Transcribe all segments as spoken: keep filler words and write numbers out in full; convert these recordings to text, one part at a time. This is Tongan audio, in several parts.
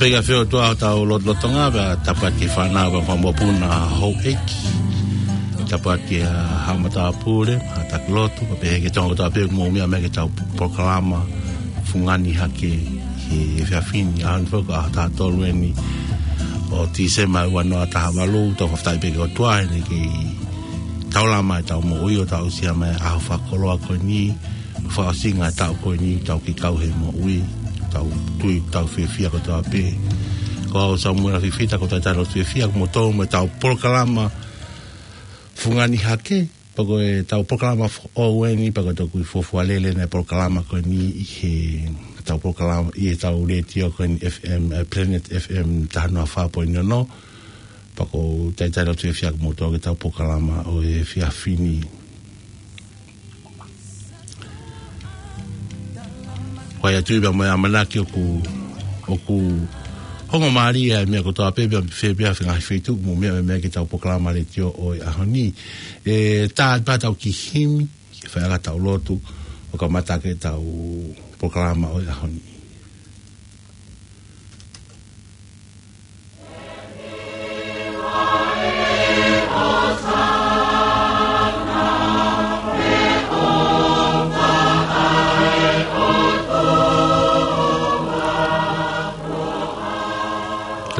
Pea ʻoku fie ʻOtua ʻetau lotolotonga, pea tapu atu ki he fānau, pea mo e mokopuna houʻeiki. Tapu atu ki he haʻa matāpule, haʻa taki lotu, pea pehē ki he Tonga kotoa pē ʻoku mou meʻa mai ki heʻetau polokalama Fungani Hake he efiafi ni, ʻaho ni foki ko e ʻaho taha tolu eni ʻo Tīsema ua noa taha valu, tau fakafetaʻi pē ki he ʻOtua heʻene kei taulama ʻetau moʻui ʻo tau aʻusia mai e ʻaho fakakoloa ko eni, fakaʻosinga e taʻu ko eni, tau kei kau he moʻui, tau tui, tau fiefia kotoa pē. Ko au Samuela Fifita, ko e talitali lotu fiefia kimoutolu mo ʻetau polokalama Fungani Hake, pea ko ʻetau polokalama foʻou eni, pea ko e toki fuofua lele ʻena e polokalama ko eni ʻi heʻetau polokalama, ʻi heʻetau letiō ko eni F M, eh, Planet F M taha noa fā poini ono, pea ko e talitali lotu fiefia kimoutolu ki heʻetau polokalama ʻo e efiafi ni. Ko ia atu ia pea mo e ʻamanaki ʻoku, ʻoku ongo mālie e meʻa kotoa pē, pea fē pē ha ngaahi feituʻu ʻoku mou meʻa mai ki heʻetau polokalama letiō ʻo e ʻaho ni. ʻE tā atu pē ʻetau kiʻi himi, ke fai ai ʻetau lotu, ʻo kamata ʻaki ʻetau polokalama ʻo e ʻaho ni.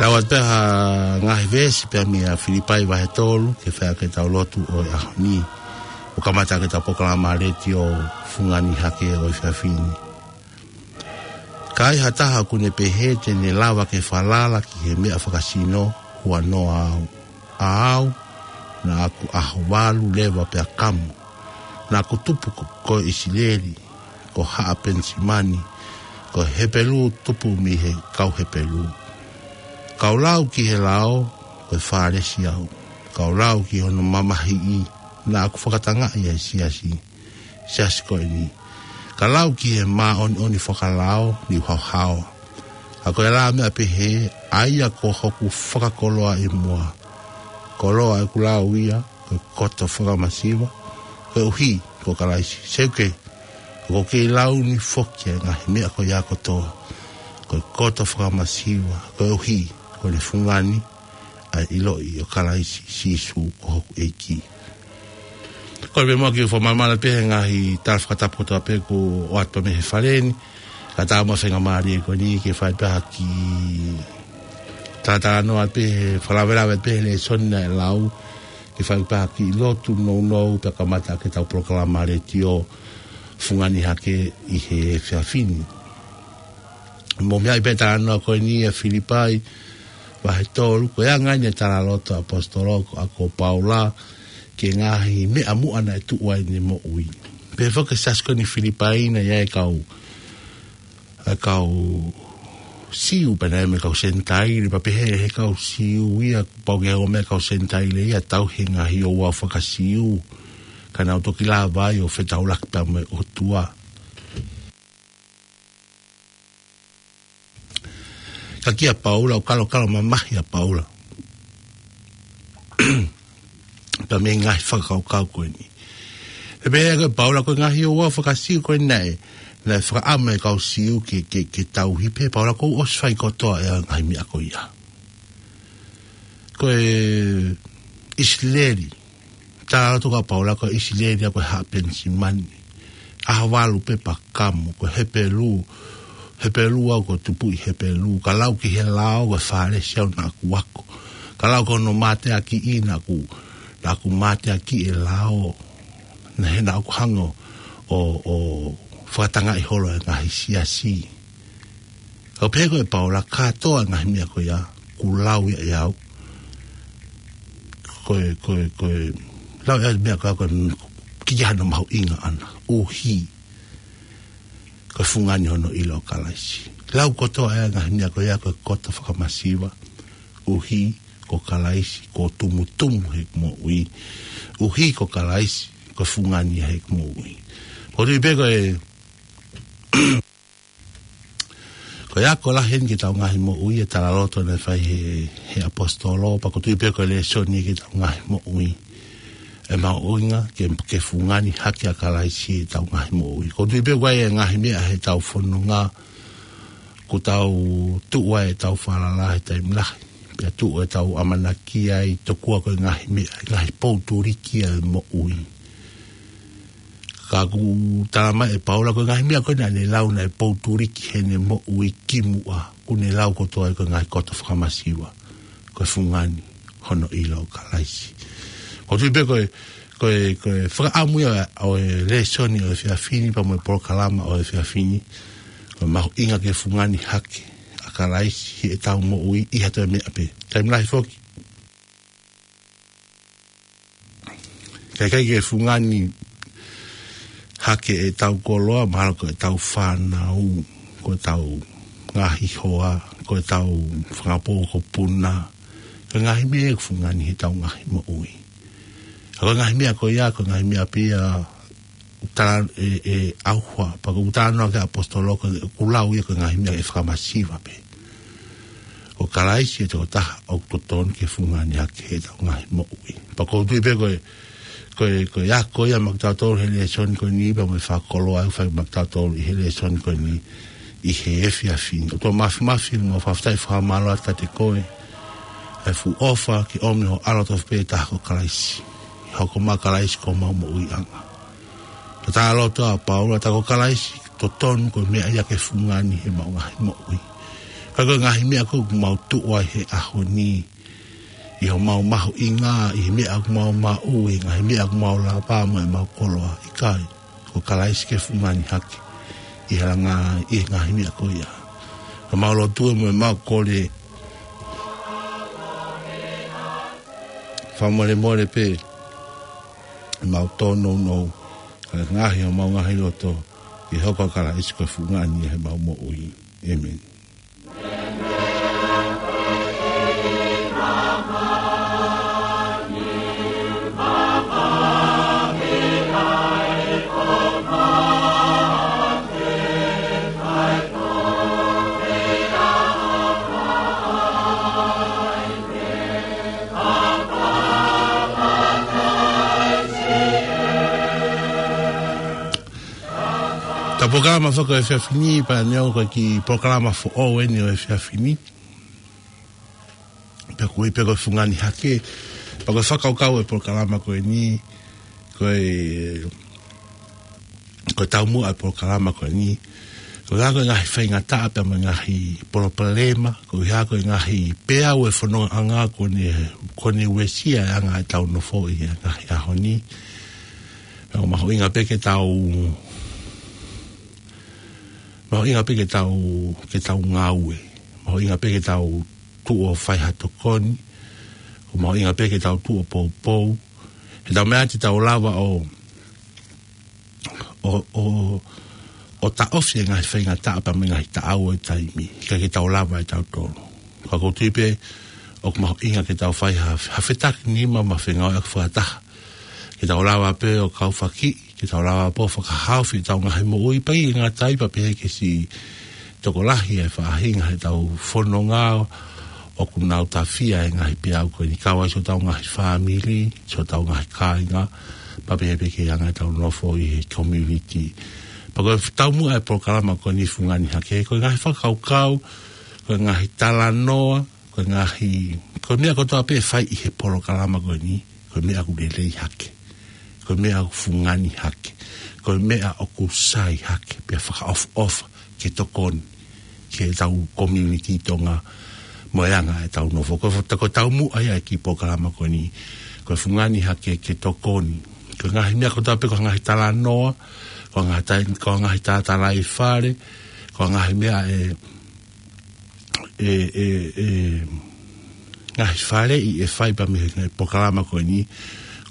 Lau atu pē ha ngaahi veesi pē mei a Filipai vahe tolu, ke fai ʻaki ʻetau lotu ʻo e ʻaho ni, ʻo kamata ʻaki ʻetau polokalama letiō Fungani Hake ʻo e efiafi ni. Ka ai ha taha ʻoku ne pehē te ne lava ke falala ki he meʻa fakasino, huanoa au. ʻA au, naʻa ku ʻaho valu leva pea kamu. Naʻa ku tupu ko, ko ʻIsileli, ko haʻa Penisimani, ko Hepelū tupu mei he kau Hepelū. Ka u lau ki he lao, ko e Fālesi au. Ka u lau ki hono mamahiʻi, naʻa ku fakatangaʻi ʻa e siasi, siasi ko eni. Ka lau ki he māʻoniʻoni fakalao, ne u haohaoa. Ka ko e lā meʻa pehē, ʻa ia ko hoku fakakoloa ʻi muʻa. Koloa ʻeku lau ia, ko e koto fakamasiva, koeʻuhi ko Kalaisi. Seuke, ʻoku ou kei lau ni foki ʻa e ngaahi meʻa ko ia kotoa, ko e koto fakamasiva, koeʻuhi ko ʻene fungani, ʻa e ʻiloʻi ʻo Kalaisi Sīsū ko hoku ʻEiki. Ko e pē mo e kiʻi fakamaʻalaʻala pē he ngaahi tala fakatapu kotoa pē kuo ʻoatu pē mei he fale ni. Ka tau mo e faingamālie ko eni ke fai pē ha kiʻi talatalanoa pē he fakalavelave pē he lēsoni naʻe lau, ke fai pē ha kiʻi lotu nounou pea kamata ʻaki ʻetau polokalama letiō Fungani Hake ʻi he efiafi ni. Mou meaʻi pē talanoa ko eni ʻa Filipai vahe tolu, ko e anga eni e talaloto ʻa e ʻaposetolo ko, ʻa ko Paula, ki he ngaahi meʻa muʻa naʻe tuʻu ai ʻene moʻui. Pehē foki ki he siasi ko eni Filipai naʻe ʻi ai e kau, e kau Siu pea naʻe ʻi ai mo e kau Senitaile, pea pehē ʻe he kau Siu ia, pau ke ʻomai e kau Senitaile ia ʻo tauhi e ngaahi ouau faka-Siu, ka naʻa nau toki lava ai ʻo fetaulaki pea mo e ʻOtua. Ka kia Paula, ʻoku kalokalo mamahi ʻa Paula pea mei he ngaahi fakakaukau ko eni. ʻE pehē ʻe Paula ko e ngaahi ouau faka-Siu ko eni naʻe, naʻe fakaʻamu e kau Siu ke, ke, ke tauhi, pehē ʻe Paula kuo u ʻosi fai kotoa ʻa e ngaahi meʻa ko ia. Ko e ʻIsileli, talaloto ʻa Paula ko e ʻIsileli ia ko e haʻa Penisimani. ʻAho valu pē pea kamu, ko e Hepelū, Hepelū au, ko e tupu ʻi Hepelū. Ka lau ki he lao, ko e Fālesi au, naʻa ku ako. Ka lau ki hono mateakiʻi, naʻa ku, naʻa ku mateakiʻi e lao. Naʻe, naʻa ku hanga ʻo, ʻo fakatangaʻi holo e ngaahi siasi. Ka pehē ko ē ʻe Paula, kātoa e ngaahi meʻa ko ia kuo lau ia ʻe au, ko e, ko e, ko e lau ia e meʻa ko ia, ko e kiʻi hano mahuʻinga ʻana, ʻuhi ko e fungani hono ʻilo ʻo Kalaisi. Lau kotoa e ngaahi meʻa ko ia ko e koto fakamasiva, ʻuhi ko Kalaisi, ko e tumutumu heʻeku moʻui, ʻuhi ko Kalaisi ko e fungani heʻeku moʻui. Ko e tui pē ko e Ko e ako lahi eni ki heʻetau ngaahi moʻui e talaloto naʻe fai he, he ʻaposetolo, pea ko e tui pē ko e lēsoni ki heʻetau ngaahi moʻui. ʻE mahuʻinga ke, ke fungani hake ʻa Kalaisi ʻi heʻetau ngaahi moʻui. Ko e tui pē ko e ngaahi meʻa heʻetau fononga, Ko tau tuʻu ai ʻetau falala he taimi lahi. Pea tuʻu ʻetau ʻamanaki ai tokua ko e ngaahi meʻa, ngaahi pou tuliki ʻa e moʻui. Ka ʻoku tala mai ʻe Paula ko e ngaahi meʻa ko ē naʻa ne lau naʻe pou tuliki heʻene moʻui kimuʻa. Kuo ne lau kotoa ai ko e ngaahi koto fakamasiva. Ko e fungani hono ʻilo ʻo Kalaisi. ʻOku ou tui pē ko e, ko e, ko e fakaʻamu ia ʻo e lēsoni ʻo e efiafi ni pea mo e polokalama ʻo e efiafi ni. Ko e mahuʻinga ke fungani hake ʻa Kalaisi heʻetau moʻui ʻi ha toe meʻa pē. Taimi lahi foki. Ka ʻikai ke fungani hake ʻetau koloa, mahalo ko ʻetau fānau, ko ʻetau ngaahi hoa, ko ʻetau fanga pou ko puna. Ko e ngaahi meʻa ʻoku fungani heʻetau ngaahi moʻui. Ka ko e ngaahi meʻa ko ia, ko e ngaahi meʻa pē ia ʻoku tala ʻe, ʻe ʻAuha, pea ʻoku tala noa ki he ʻaposetolo ko ʻoku lau ia ko e ngaahi meʻa ʻe fakamasiva pē. Ko Kalaisi ʻe tokotaha ʻoku totonu ke fungani hake heʻetau ngaahi moʻui. Pea ʻoku ou tui pē ko e, ko e, ko e ako ia maʻa kitautolu he lēsoni ko eni, pea mo e fakakoloa ʻoku fai maʻa kitautolu ʻi he lēsoni ko eni, ʻi he efiafi ni. ʻOtua Māfimafi, ʻoku mau fakafetaʻi fakamālō atu kiate koe. ʻA e fuʻu ʻofa ke ʻomi ho ʻAlo tofu pē taha ko Kalaisi. Hoko mai Kalaisi ko homau moʻuiʻanga. Ka tala atu ʻa Paula, tā ko Kalaisi totonu ko e meʻa ia ke fungani heʻemau ngaahi moʻui. Ka ko e ngaahi meʻa ko ē ʻoku mau tuʻu ai he ʻaho ni, ʻi homau mahuʻinga, ʻi he meʻa ʻoku mau maʻu, ʻi he ngaahi meʻa ʻoku mau lava mo ʻemau koloa, ʻikai, ko Kalaisi ke fungani hake ʻi he langa, ʻi he ngaahi meʻa ko ia. Ka mau lotu mo ʻemau kole fakamolemole pē, ʻemau tōnounou, ka ngaahi homau ngaahi loto, ke hoko ʻa Kalaisi ko e fungani heʻemau moʻui. ʻĒmeni. Ko e polokalama foki ʻo e efiafi ni, pea neongo ko e kiʻi polokalama foʻou eni ʻo e efiafi ni. Pea ʻoku ui pē ko e fungani hake. Pea ko e fakakaukau ʻo e polokalama ko eni, ko e, ko e taumuʻa ʻo e polokalama ko eni, ko e hā ko e ngaahi faingataʻa pea mo e ngaahi palopalema, ko e hā ko e ngaahi peau ʻo e fonongaʻanga kuo ne, kuo ne uesia e anga ʻetau nofo ʻi he ngaahi ʻaho ni. Pea ʻoku mahuʻinga pē ke tau, mahuʻinga pē ke tau, ke tau ngāue. Mahuʻinga pē ke tau tuʻu ʻo fai ha tokoni. ʻOku mahuʻinga pē ke tau tuʻu ʻo poupou. He ʻoku tau meʻa ʻa e tau lava ʻo, ʻo, ʻo, ʻo taʻofi e ngaahi faingataʻa pea mo e ngaahi taʻau ʻo e taimi. Ka ke tau lava ʻe tautolu. Ka ʻoku ou tui pē, ʻoku mahuʻinga ke tau fai ha, ha fetakinima mo e fengāueʻaki fakataha. Ke tau lava pē ʻo kaufakiʻi, ke tau lava pē ʻo fakahaofi ʻetau ngaahi moʻui pea ʻikai ngata ai pea pehē ki he siʻi tokolahi ʻa e faʻahinga heʻetau fononga ʻoku nau tafia he ngaahi peau ko eni kau ai siʻotau ngaahi fāmili, siʻotau ngaahi kāinga, pea pehē pē ki he anga ʻetau nofo ʻi he community. Pea ko e taumuʻa ʻo e polokalama ko eni fungani hake, ko e ngaahi fakakaukau, ko e ngaahi talanoa, ko e ngaahi, ko e meʻa kotoa pē ʻe fai ʻi he polokalama ko eni, ko e meʻa ʻoku lelei hake, ko e meʻa ʻoku fungani hake, ko e meʻa ʻoku sai hake, pea fakaʻofoʻofa ke tokoni ki heʻetau community Tonga mo e anga ʻetau nofo. Ko e fo-, ko e taumuʻa ia ʻo e kiʻi polokalama ko eni, ko e fungani hake ke tokoni. Ko e ngaahi meʻa kotoa pē, ko e ngaahi talanoa, ko e ngaahi tai-, ko e ngaahi talatalaifale, ko e ngaahi meʻa ʻe, ʻe, ʻe, ʻe, ngaahi faleʻi ʻe fai pea mei he ngaahi polokalama ko eni,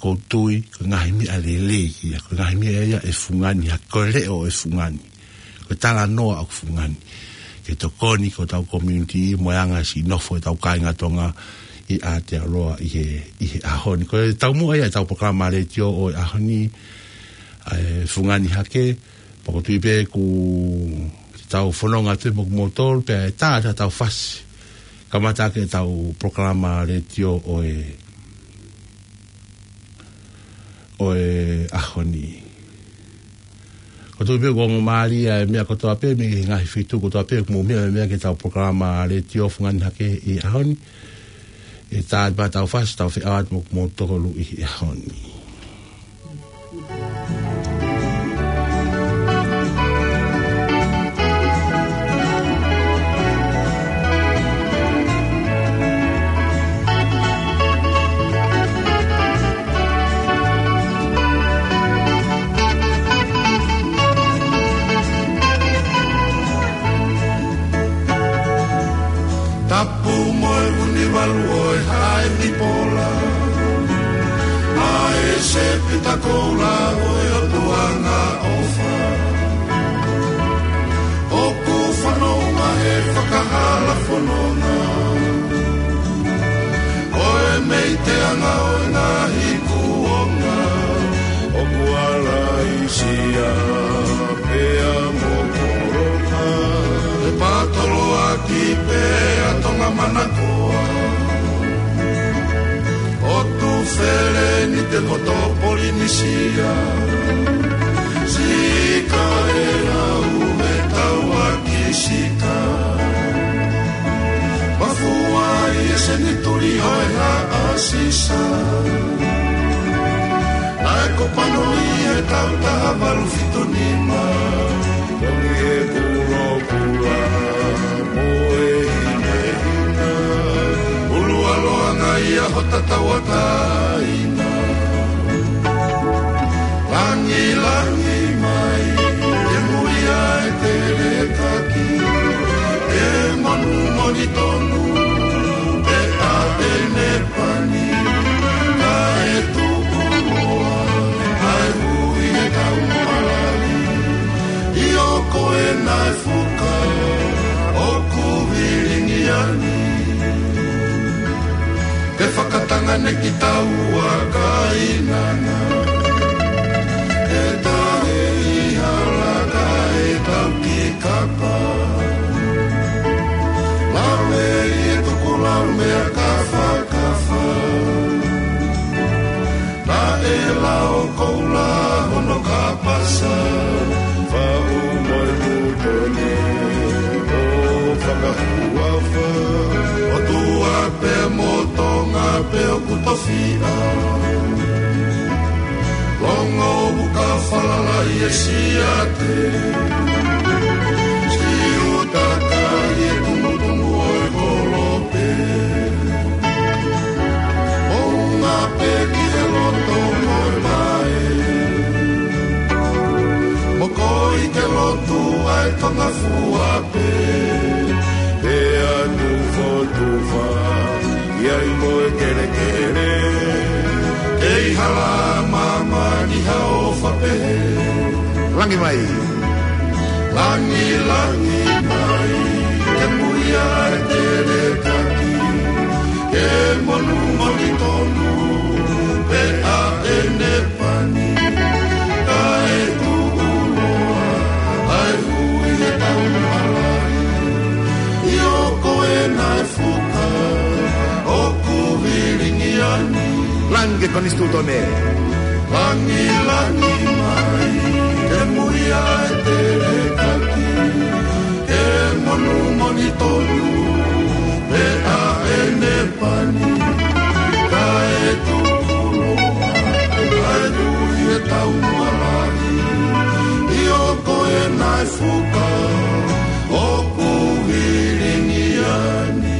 ʻoku ou tui, ko e ngaahi meʻa lelei ia, ko e ngaahi meʻa ia ʻe fungani, ha ko e leʻo ʻe fungani, ko e talanoa ʻoku fungani. Ke tokoni ki hotau community mo e anga siʻi nofo ʻetau kāinga Tonga ʻi Aotearoa ʻi he, ʻi he ʻaho ni. Ko e taumuʻa ia ʻetau polokalama letiō ʻo e ʻaho ni, ʻa e fungani hake, pea ʻoku ou tui pē ʻoku tau fononga atu mo kimoutolu, pea ʻe tā ʻetau fasi. Kamata ʻaki ʻetau polokalama letiō ʻo e, ʻo e ʻaho ni. Ko Tuku pē ʻoku ongo mālie e meʻa kotoa pē mei he ngaahi feituʻu kotoa pē ʻoku mou meʻa, meʻa ki heʻetau polokalama letiō Fungani Hake ʻi he ʻaho ni. ʻE tā atu pē ʻetau fasi, tau feʻao atu mo kimoutolu ʻi he ʻaho ni. Tapu mo e ʻunivalu ʻo e haʻa ʻo e pipola, ʻa e sēpita koula ʻo e ʻOtua angaʻofa. ʻOku fanongo he fakahala fononga ʻo e meiteanga ʻo e ngaahi kuonga, ʻoku ala ʻi Sīsū pea mo Koloka, ʻe pātoloaki pea Tonga manakoa. ʻO Tuʻi Felenite mo Tō Polinisia, Sika ʻe lau ʻe tauaki Sika. Mafua ʻi he senituli ʻo e haʻa Sisa, naʻe ko Panoʻi he taʻu taha valu fitu nima. Tongi e kulokula mo e hinehina, ʻulualoa ngai ʻa hota tauʻatāina. Langilangi mai, ke muia e telekaki, ke manu moni tonu, ke ʻa e ne pani, kae tuʻuloa ʻa e hui ʻi he taumuʻalali. ʻIo, ko ena e fuka ʻoku vilingi ani, ke fakatanga ne ki taua kainana, ke tahe ʻi hala kae tau ki kapa. Lave ʻi he tukulau meʻa kafakafa. Naʻe lao koula hono kapasa, faʻu mo e tuʻu tone ʻo fakahuafa. ʻOtua pē mo Tonga pē ʻoku tofiʻa. Longo ʻoku ka falala ʻi he siate, siutaka ʻi he tumutumu ʻo e kolope. Moʻunga pē ki he loto mo e vaʻe, mokoi ke lotu ʻa e Tonga fua pē. Pea tufotufa ʻi ai mo e kelekele, ʻe ʻi hala māmani ha ʻofa pehē. Langi mai. Langilangi mai, ke muia e telekaki, ke manu moni tonu, pe ʻa e ne pani, kae tuʻuloa ʻa e hui ʻi he taumuʻalali. ʻIo, ko ena e fuka ʻoku vilingi ani. Langi Konisitūtone. Langilangi mai, ke muia e telekaki, ke manu moni tonu, pe ʻa e ne pani, kae tuʻuloa ʻa e hui ʻi he taumuʻalali. ʻIo, ko ena e fuka ʻoku vilingi ani.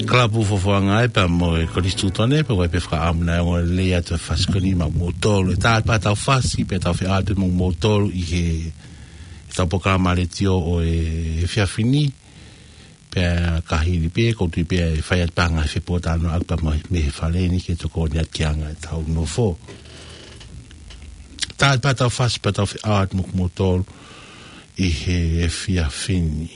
Kalapu Fofoʻanga ē pea mo e Konisitūtone, pea ʻoku ʻi ai pē fakaʻamu naʻe ongo lelei atu e fasi ko eni maʻamoutolu. ʻE tā atu pē ʻetau fasi, pea tau feʻao atu mo moutolu ʻi he, ʻetau polokalama letiō ʻo e efiafi ni. Pea ka hili pē, ʻoku ou tui pē ʻe fai atu pē ha ngaahi fepōtalanoaʻaki pea mei he fale ni ke tokoni atu ki he anga ʻetau nofo. Tā atu pē ʻetau fasi, pea tau feʻao atu mo moutolu ʻi he efiafi ni.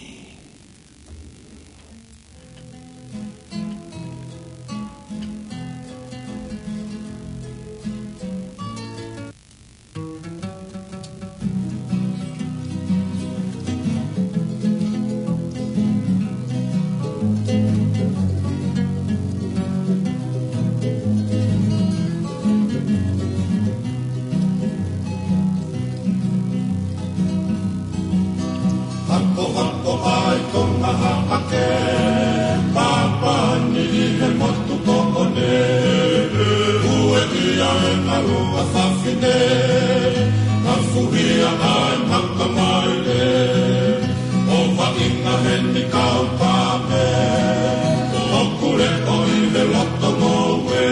ʻo ʻi he loto ngoue,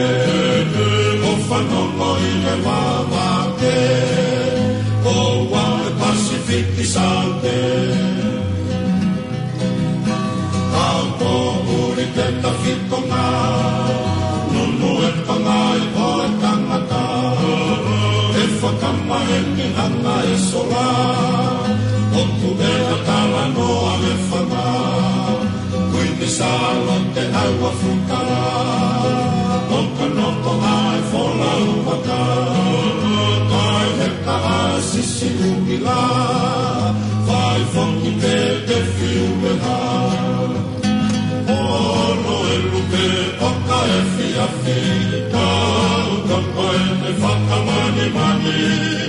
ʻo fanongo ʻi he vavake, ʻo ua e Pasifiki Sante. Ka ko uli ke tafitonga, nunu e pangai ʻo e tangata, ʻe fakamaʻe ni hanga e sola, ʻoku ʻe talanoa e fanga. Kuini Sālote ʻAua Fukala, ʻo ka noko ʻa e folau vaka, kae heka ʻa e sisi ʻuhila, fai foki pē te fiu meha. ʻOlo e lupe ʻoka e fiafi, ka ʻoka pae e fakamanimani,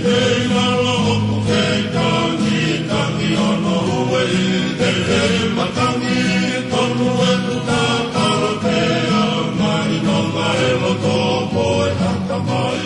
ʻe ʻi lalo ʻoku kei tangi, tangi ʻono ueʻi, ʻe he matangi, tonu e kuta kala pea, mai nonga e loto mo e haka mai.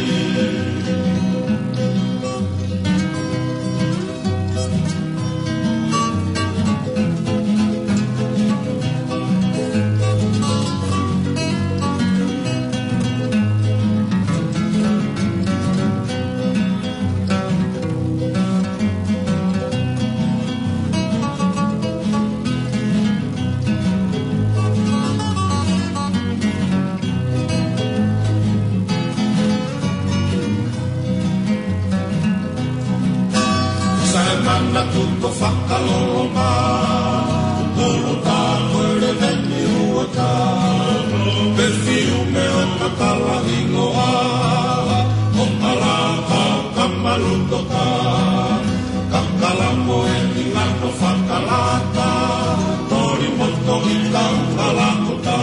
Sai mana tuko fakaloloma, tulu ta koe le veni uata, pe fiu me o kakala hingoa, ʻo kala ka kamalutoka, kakala mo e ʻi lano fakalata, toli moto i kau kalakuta,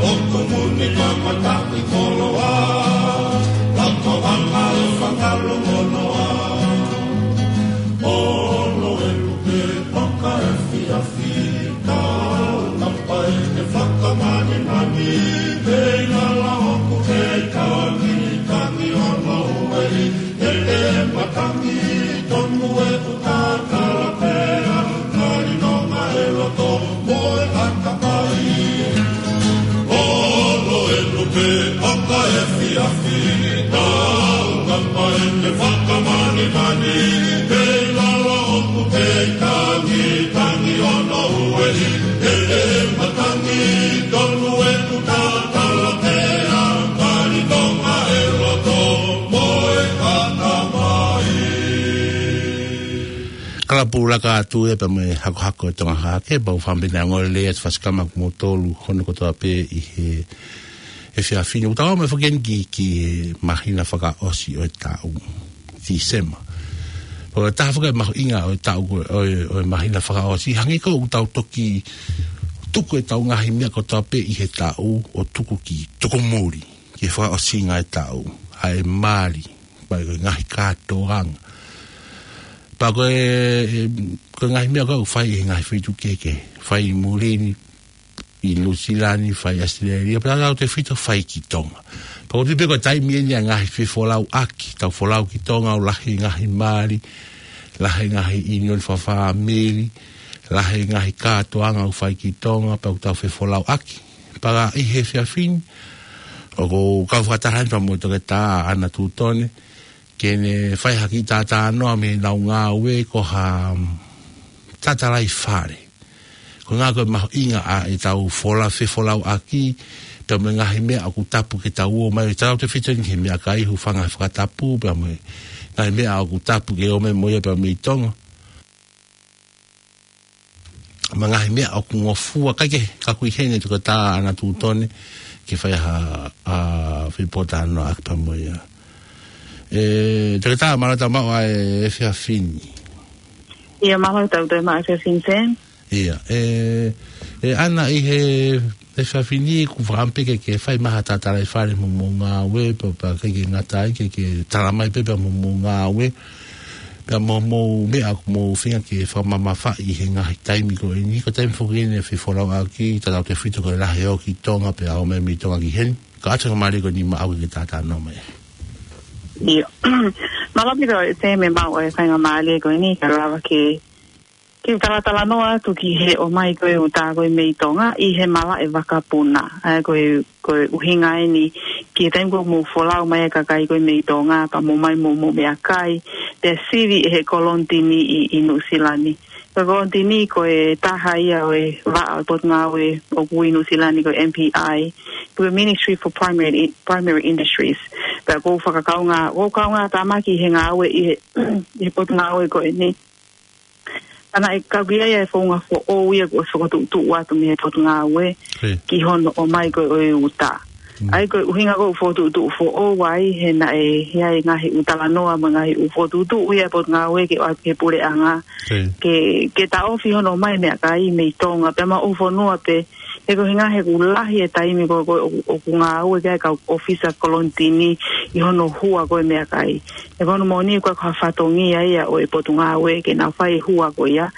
ʻo kumuni kamata i koloa, lako anga e fakalu monoa. ʻOlo e lupe ʻoka e fiafi, ka ʻoka pae e fakamanimani, ʻe ʻi lalo ʻoku kei tangi, tangi ʻono ueʻi, ʻe he matangi, tonu e kuta kala pea, mai nonga e loto mo e haka mai. ʻOlo e lupe ʻoka e fiafi, ka ʻoka pae e fakamanimani, ʻe ʻi lalo ʻoku kei tangi, tangi ʻono ueʻi, ʻe he matangi, tonu e kuta kala pea, mai nonga e loto mo e haka mai. Kalapu laka atu ia pea mo e hakohako e Tonga Hake, pea u fakaʻamu pē naʻa ngole lea atu fasikama mo tolu hono kotoa pē ʻi he, he efiafi ni. ʻOku tau aʻu mai foki eni ki, ki he māhina fakaʻosi ʻo e taʻu, Tīsema. ʻOku taha foki e mahuʻinga ʻo e taʻu ko, ʻo e, ʻo e māhina fakaʻosi. Hangē ko ʻoku tau toki tuku ʻetau ngaahi meʻa kotoa pē ʻi he taʻu ʻo tuku ki tukumuli, ki he fakaʻosinga e taʻu. ʻA e mali, pea ko e ngaahi kātoanga. Pea ko e, e, ko e ngaahi meʻa ko ē ʻoku fai ʻi he ngaahi feituʻu kehekehe. Fai ʻi muli ni, ʻi Nuʻusila ni, fai ʻAositelēlia, pea tautautefito fai ki Tonga. Pea ʻoku ou tui pē ko e taimi eni ʻa e ngaahi fefolauʻaki, tau folau ki Tonga ʻo lahi e ngaahi mali, lahi e ngaahi ʻiunioni fakafāmili, lahi e ngaahi kātoanga ʻoku fai ki Tonga, pea ʻoku tau fefolauʻaki. Pea ʻi he efiafi ni, ʻoku ou kau fakataha eni pea mo Toketā ʻAna Tutone, ke ne fai ha kiʻi talanoa mei heʻenau ngāue ko ha, mm, tatalaifale. Ko e ʻuhinga ko e mahuʻinga ʻa ʻetau fola, fefolauʻaki, pea mo e ngaahi meʻa ʻoku tapu ke tau ō mai, tautautefito eni he meʻakai, hūfanga he fakatapu, pea mo e ngaahi meʻa ʻoku tapu ke ō mai mo ia pea mei Tonga. Mo e ngaahi meʻa ʻoku ngofua, kae kehe, ka ʻoku ʻi heni Toketā ʻAna Tutone, ke fai ha, ha, fepōtalanoaʻaki pea mo ia. ʻE, Toketā, mālō e tau maʻu ʻa e efiafi ni. ʻIo, mālō e tau toe maʻu e efiafi ni, Sam. ʻIo, ʻe, ʻe ʻAna, ʻi he efiafi ni ʻoku ou fakaʻamu pē ke, ke fai mai ha tatalaifale mo hoʻomou ngāue, pea, pea ʻikai ke ngata ai, ke, ke tala mai pē pea mo hoʻomou ngāue, pea mo hoʻomou meʻa ʻoku mou feinga ke fakamamafaʻi he ngaahi taimi ko eni, ko e taimi foki eni e fefolauʻaki, tautautefito ko e lahi e ō ki Tonga, pea ō mai mei Tonga ki heni. Ka ʻoatu e faingamālie ko eni maʻau ke ke talanoa mai. ʻIo. Mālō ʻaupito, Sam, e maʻu e faingamālie ko eni, kae lava ke Ke talatalanoa atu ki he ʻomai ko ē ʻuta ko ē mei Tonga ʻi he malaʻe vakapuna. ʻA ia ko e, ko e ʻuhinga eni ki he taimi ko ē ʻoku mou folau mai e kakai ko ē mei Tonga, pea mou ō mai mo, mo meʻakai, pea sivi ʻe he kolonitini ʻi, ʻi Nuʻusila ni. Ko e kolonitini ko e taha ia ʻo e vaʻa ʻo e potungāue ʻoku ui ʻi Nuʻusila ni ko e M P I, ko e Ministry for Primary, Primary Industries. Pea ʻoku ou fakakaungā, ʻoku ou kaungātāmaki he ngāue ʻi he, ʻi he potungāue ko eni. Pea naʻe kau ki ai e founga foʻou ia kuo ʻosi fokotuʻutuʻu atu mei he potungāue ki hono ʻomai ko ē ʻo e ʻuta. ʻA ia ko e ʻuhinga ko ē ʻoku fokotuʻutuʻu foʻou ai he naʻe ʻi ai e ngaahi ʻū talanoa mo e ngaahi ʻū fokotuʻutuʻu ia ʻa e potungāue ke ʻoatu ki he puleʻanga ke, ke taʻofi hono ʻomai meʻakai mei Tonga pea mo e ʻū fonua pē, he ko e ʻuhinga he ʻoku lahi e taimi ko ē ʻoku, ʻoku ngāue ki ai e kau ʻōfisa kolonitini ʻi hono hua ko ē meʻakai. He ko hono moʻoni ʻoku ʻikai ko ha fatongia ia ʻo e potungāue ke nau fai e hua ko ia.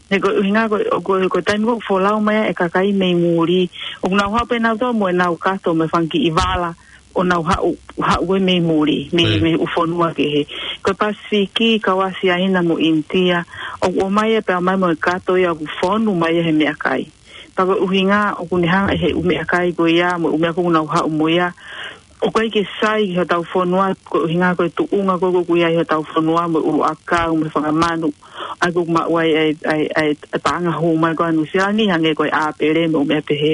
He ko e ʻuhinga ko ē, ko e, ko e taimi ko ē ʻoku folau mai ai e kakai mei muli, ʻoku nau haʻu pē nautolu mo ʻenau kato mo e fanga kiʻi vala, ʻo nau haʻu, haʻu ko ē mei muli, mei, mei he ʻū fonua kehe. Ko e Pasifiki, kau ʻAsia, ʻIna mo ʻInitia, ʻoku ō mai ia pea ō mai mo e kato ia ʻoku fonu mai ia he meʻakai. Pea ko e ʻuhinga ʻoku ne hanga ʻe he ʻū meʻakai ko ia mo e ʻū meʻa ko ē ʻoku nau haʻu mo ia, ʻoku ʻikai ke sai ki hotau fonua, ko e ʻuhinga ko e tuʻunga ko ē ʻoku ʻi ai hotau fonua mo e ʻuluʻakau mo e fanga manu, ʻa ia ko ē ʻoku maʻu ai e, e, e, e paʻanga hū mai ko ē ʻa Nuʻusila ni hangē ko e ʻāpele mo e ʻū meʻa pehē.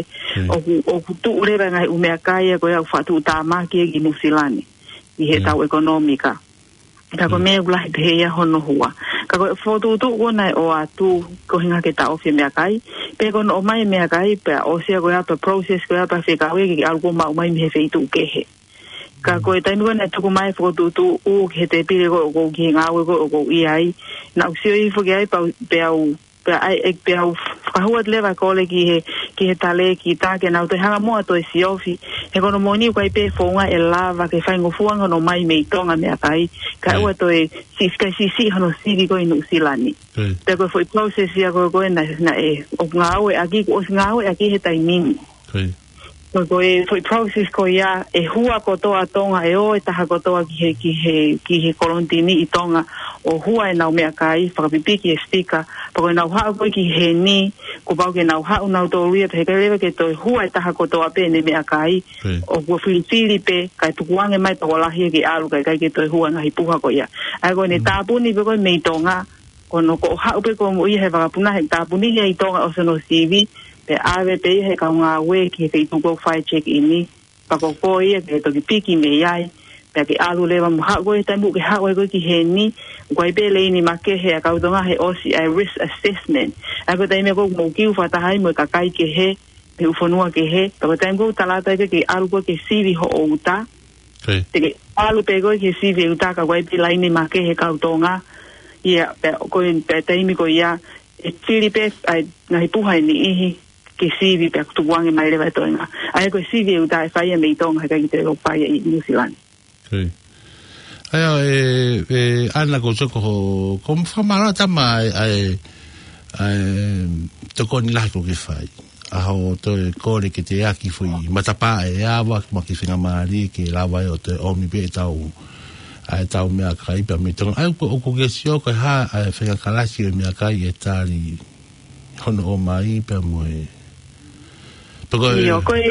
ʻOku, ʻoku tuʻu leva e ngaahi ʻū meʻakai ia ko ia ʻoku fakatuʻutāmaki ia ki Nuʻusila ni ʻi heʻetau ʻekonōmika. Ka ko e meʻa ʻoku lahi pehē ia hono hua. Ka ko e fokotuʻutuʻu ko ē naʻe ʻoatu ko e ʻuhinga ke taʻofi e meʻakai. Pea ko hono ʻomai e meʻakai, pea ʻosi ia ko ia pea process ko ia pea fekau ia ke, ke ʻalu ko ē ʻo maʻu mai mei he feituʻu kehe. Ka ko e taimi ko ē naʻe tuku mai e fokotuʻutuʻu ki he tēpile ko ē ʻoku ou ki he ngāue ko ē ʻoku ou ʻi ai, naʻá ku sio hifo ki ai pea u, pea u, pea ʻai, ʻe, pea u fakahua atu leva e kole ki he, ki he talēkita ke nau toe hanga muʻa ʻo toe siofi. He ko hono moʻoni ʻoku ʻikai pē founga ʻe lava ke faingofua hono ʻomai mei Tonga e meʻakai, kae ʻoua toe si-, kae siʻisiʻi hono sivi ko ē ʻi Nuʻusila ni. Pea ko e foʻi process ia ko ē, ko ē naʻe, naʻe, ʻoku ngāueʻaki, kuo ʻosi ngāueʻaki he taimi ni. Ko, ko e foʻi process ko ia, ʻe hua kotoa Tonga, ʻe ō e taha kotoa ki he, ki he, ki he kolonitini ʻi Tonga, ʻo hua ʻenau meʻakai, fakapipiki e sticker, pea ko ʻenau haʻu ko ē ki heni, kuo pau ke nau haʻu nautolu ia, pea heʻikai leva ke toe hua e taha kotoa pē ʻene meʻakai, ʻoku filifili pē, kae tukuange mai pea kuo lahi ia ke ʻalu, kae ʻikai ke toe hua e ngaahi puha ko ia. ʻA ia ko ʻene tāpuni pē ko ē mei Tonga, ko hono ko ē haʻu pē ko ē mo ia he vakapuna he tāpuni ia ʻi Tonga ʻosi hono sivi, pea ʻave pē ia he kau ngāue ki he feituʻu ko ē ʻoku fai e check-in, pea ko koe ia ke toki piki mei ai, pea ke ʻalu leva mo haʻu ko ē he taimi ʻoku ke haʻu ai ko ē ki heni, ʻoku ʻi ai pē leini makehe ʻa e kau Tonga he ʻosi ʻa e risk assessment. ʻA ia ko e taimi ko ē ʻoku mou kiu fakataha ai mo e kakai kehe, mei he ʻū fonua kehe, pea ko e taimi ko ē ʻoku tala atu ai ke ke ʻalu ko ē ke sivi hoʻo ʻuta, te ke ʻalu pē koe ke sivi e ʻuta ka ʻoku ʻi ai pē laine makehe he kau Tonga. Ia, pea ko e, pea taimi ko ia, ʻe fili pē ʻa e ngaahi puha ʻe niʻihi ke sivi pea tukuange mai leva e toenga. ʻA ia ko e sivi e ʻuta ʻe fai ia mei Tonga, heʻikai ke toe fai ia ʻi Nuʻusila ni. ʻA ia, ʻe, ʻe, ʻAna ko Soko ho, ko e fakamālō atu ʻa e, ʻa e, ʻa e tokoni lahi kuo ke fai. ʻA hoʻo toe kole ke teʻeki foʻi matapā ʻe ava, mo e kiʻi faingamālie ke lava ai ʻo toe ʻomi pē ʻetau, ʻa ʻetau meʻakai pea mei Tonga. ʻA ia, ʻoku, ʻoku ke sio ko e hā, ʻa e faʻahinga kalasi ʻo e meʻakai ʻe tali hono ʻomai pea mo e. Pea ko e ʻIo, ko e,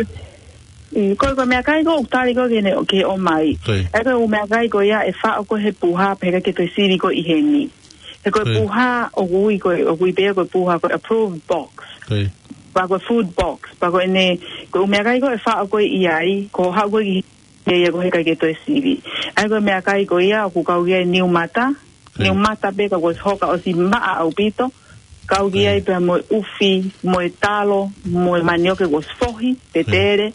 mm, ko e, ko e meʻakai ko ē ʻoku tali ko ē ke ne, ke ʻomai. ʻA ia ko e ʻū meʻakai ko ia ʻe faʻo ko ē he puha, pea heʻikai ke toe sivi ko ē ʻi heni. He ko e puha ʻoku ui ko ē, ʻoku ui pē ia ko e puha ko e approved box. Pea ko e food box. Pea ko ʻene, ko e ʻū meʻakai ko ē ʻe faʻo ko ē ʻi ai, ko hoʻo haʻu ko ē ki he, ia ko ē heʻikai ke toe sivi. ʻA ia ko e meʻakai ko ia ʻoku kau ki ai e niu mata. Niu mata pē ka kuo ʻosi hoka ʻosi maʻa ʻaupito. Kau ki ai pea mo e ʻufi, mo e talo, mo e manioke kuo ʻosi fohi, pe tele.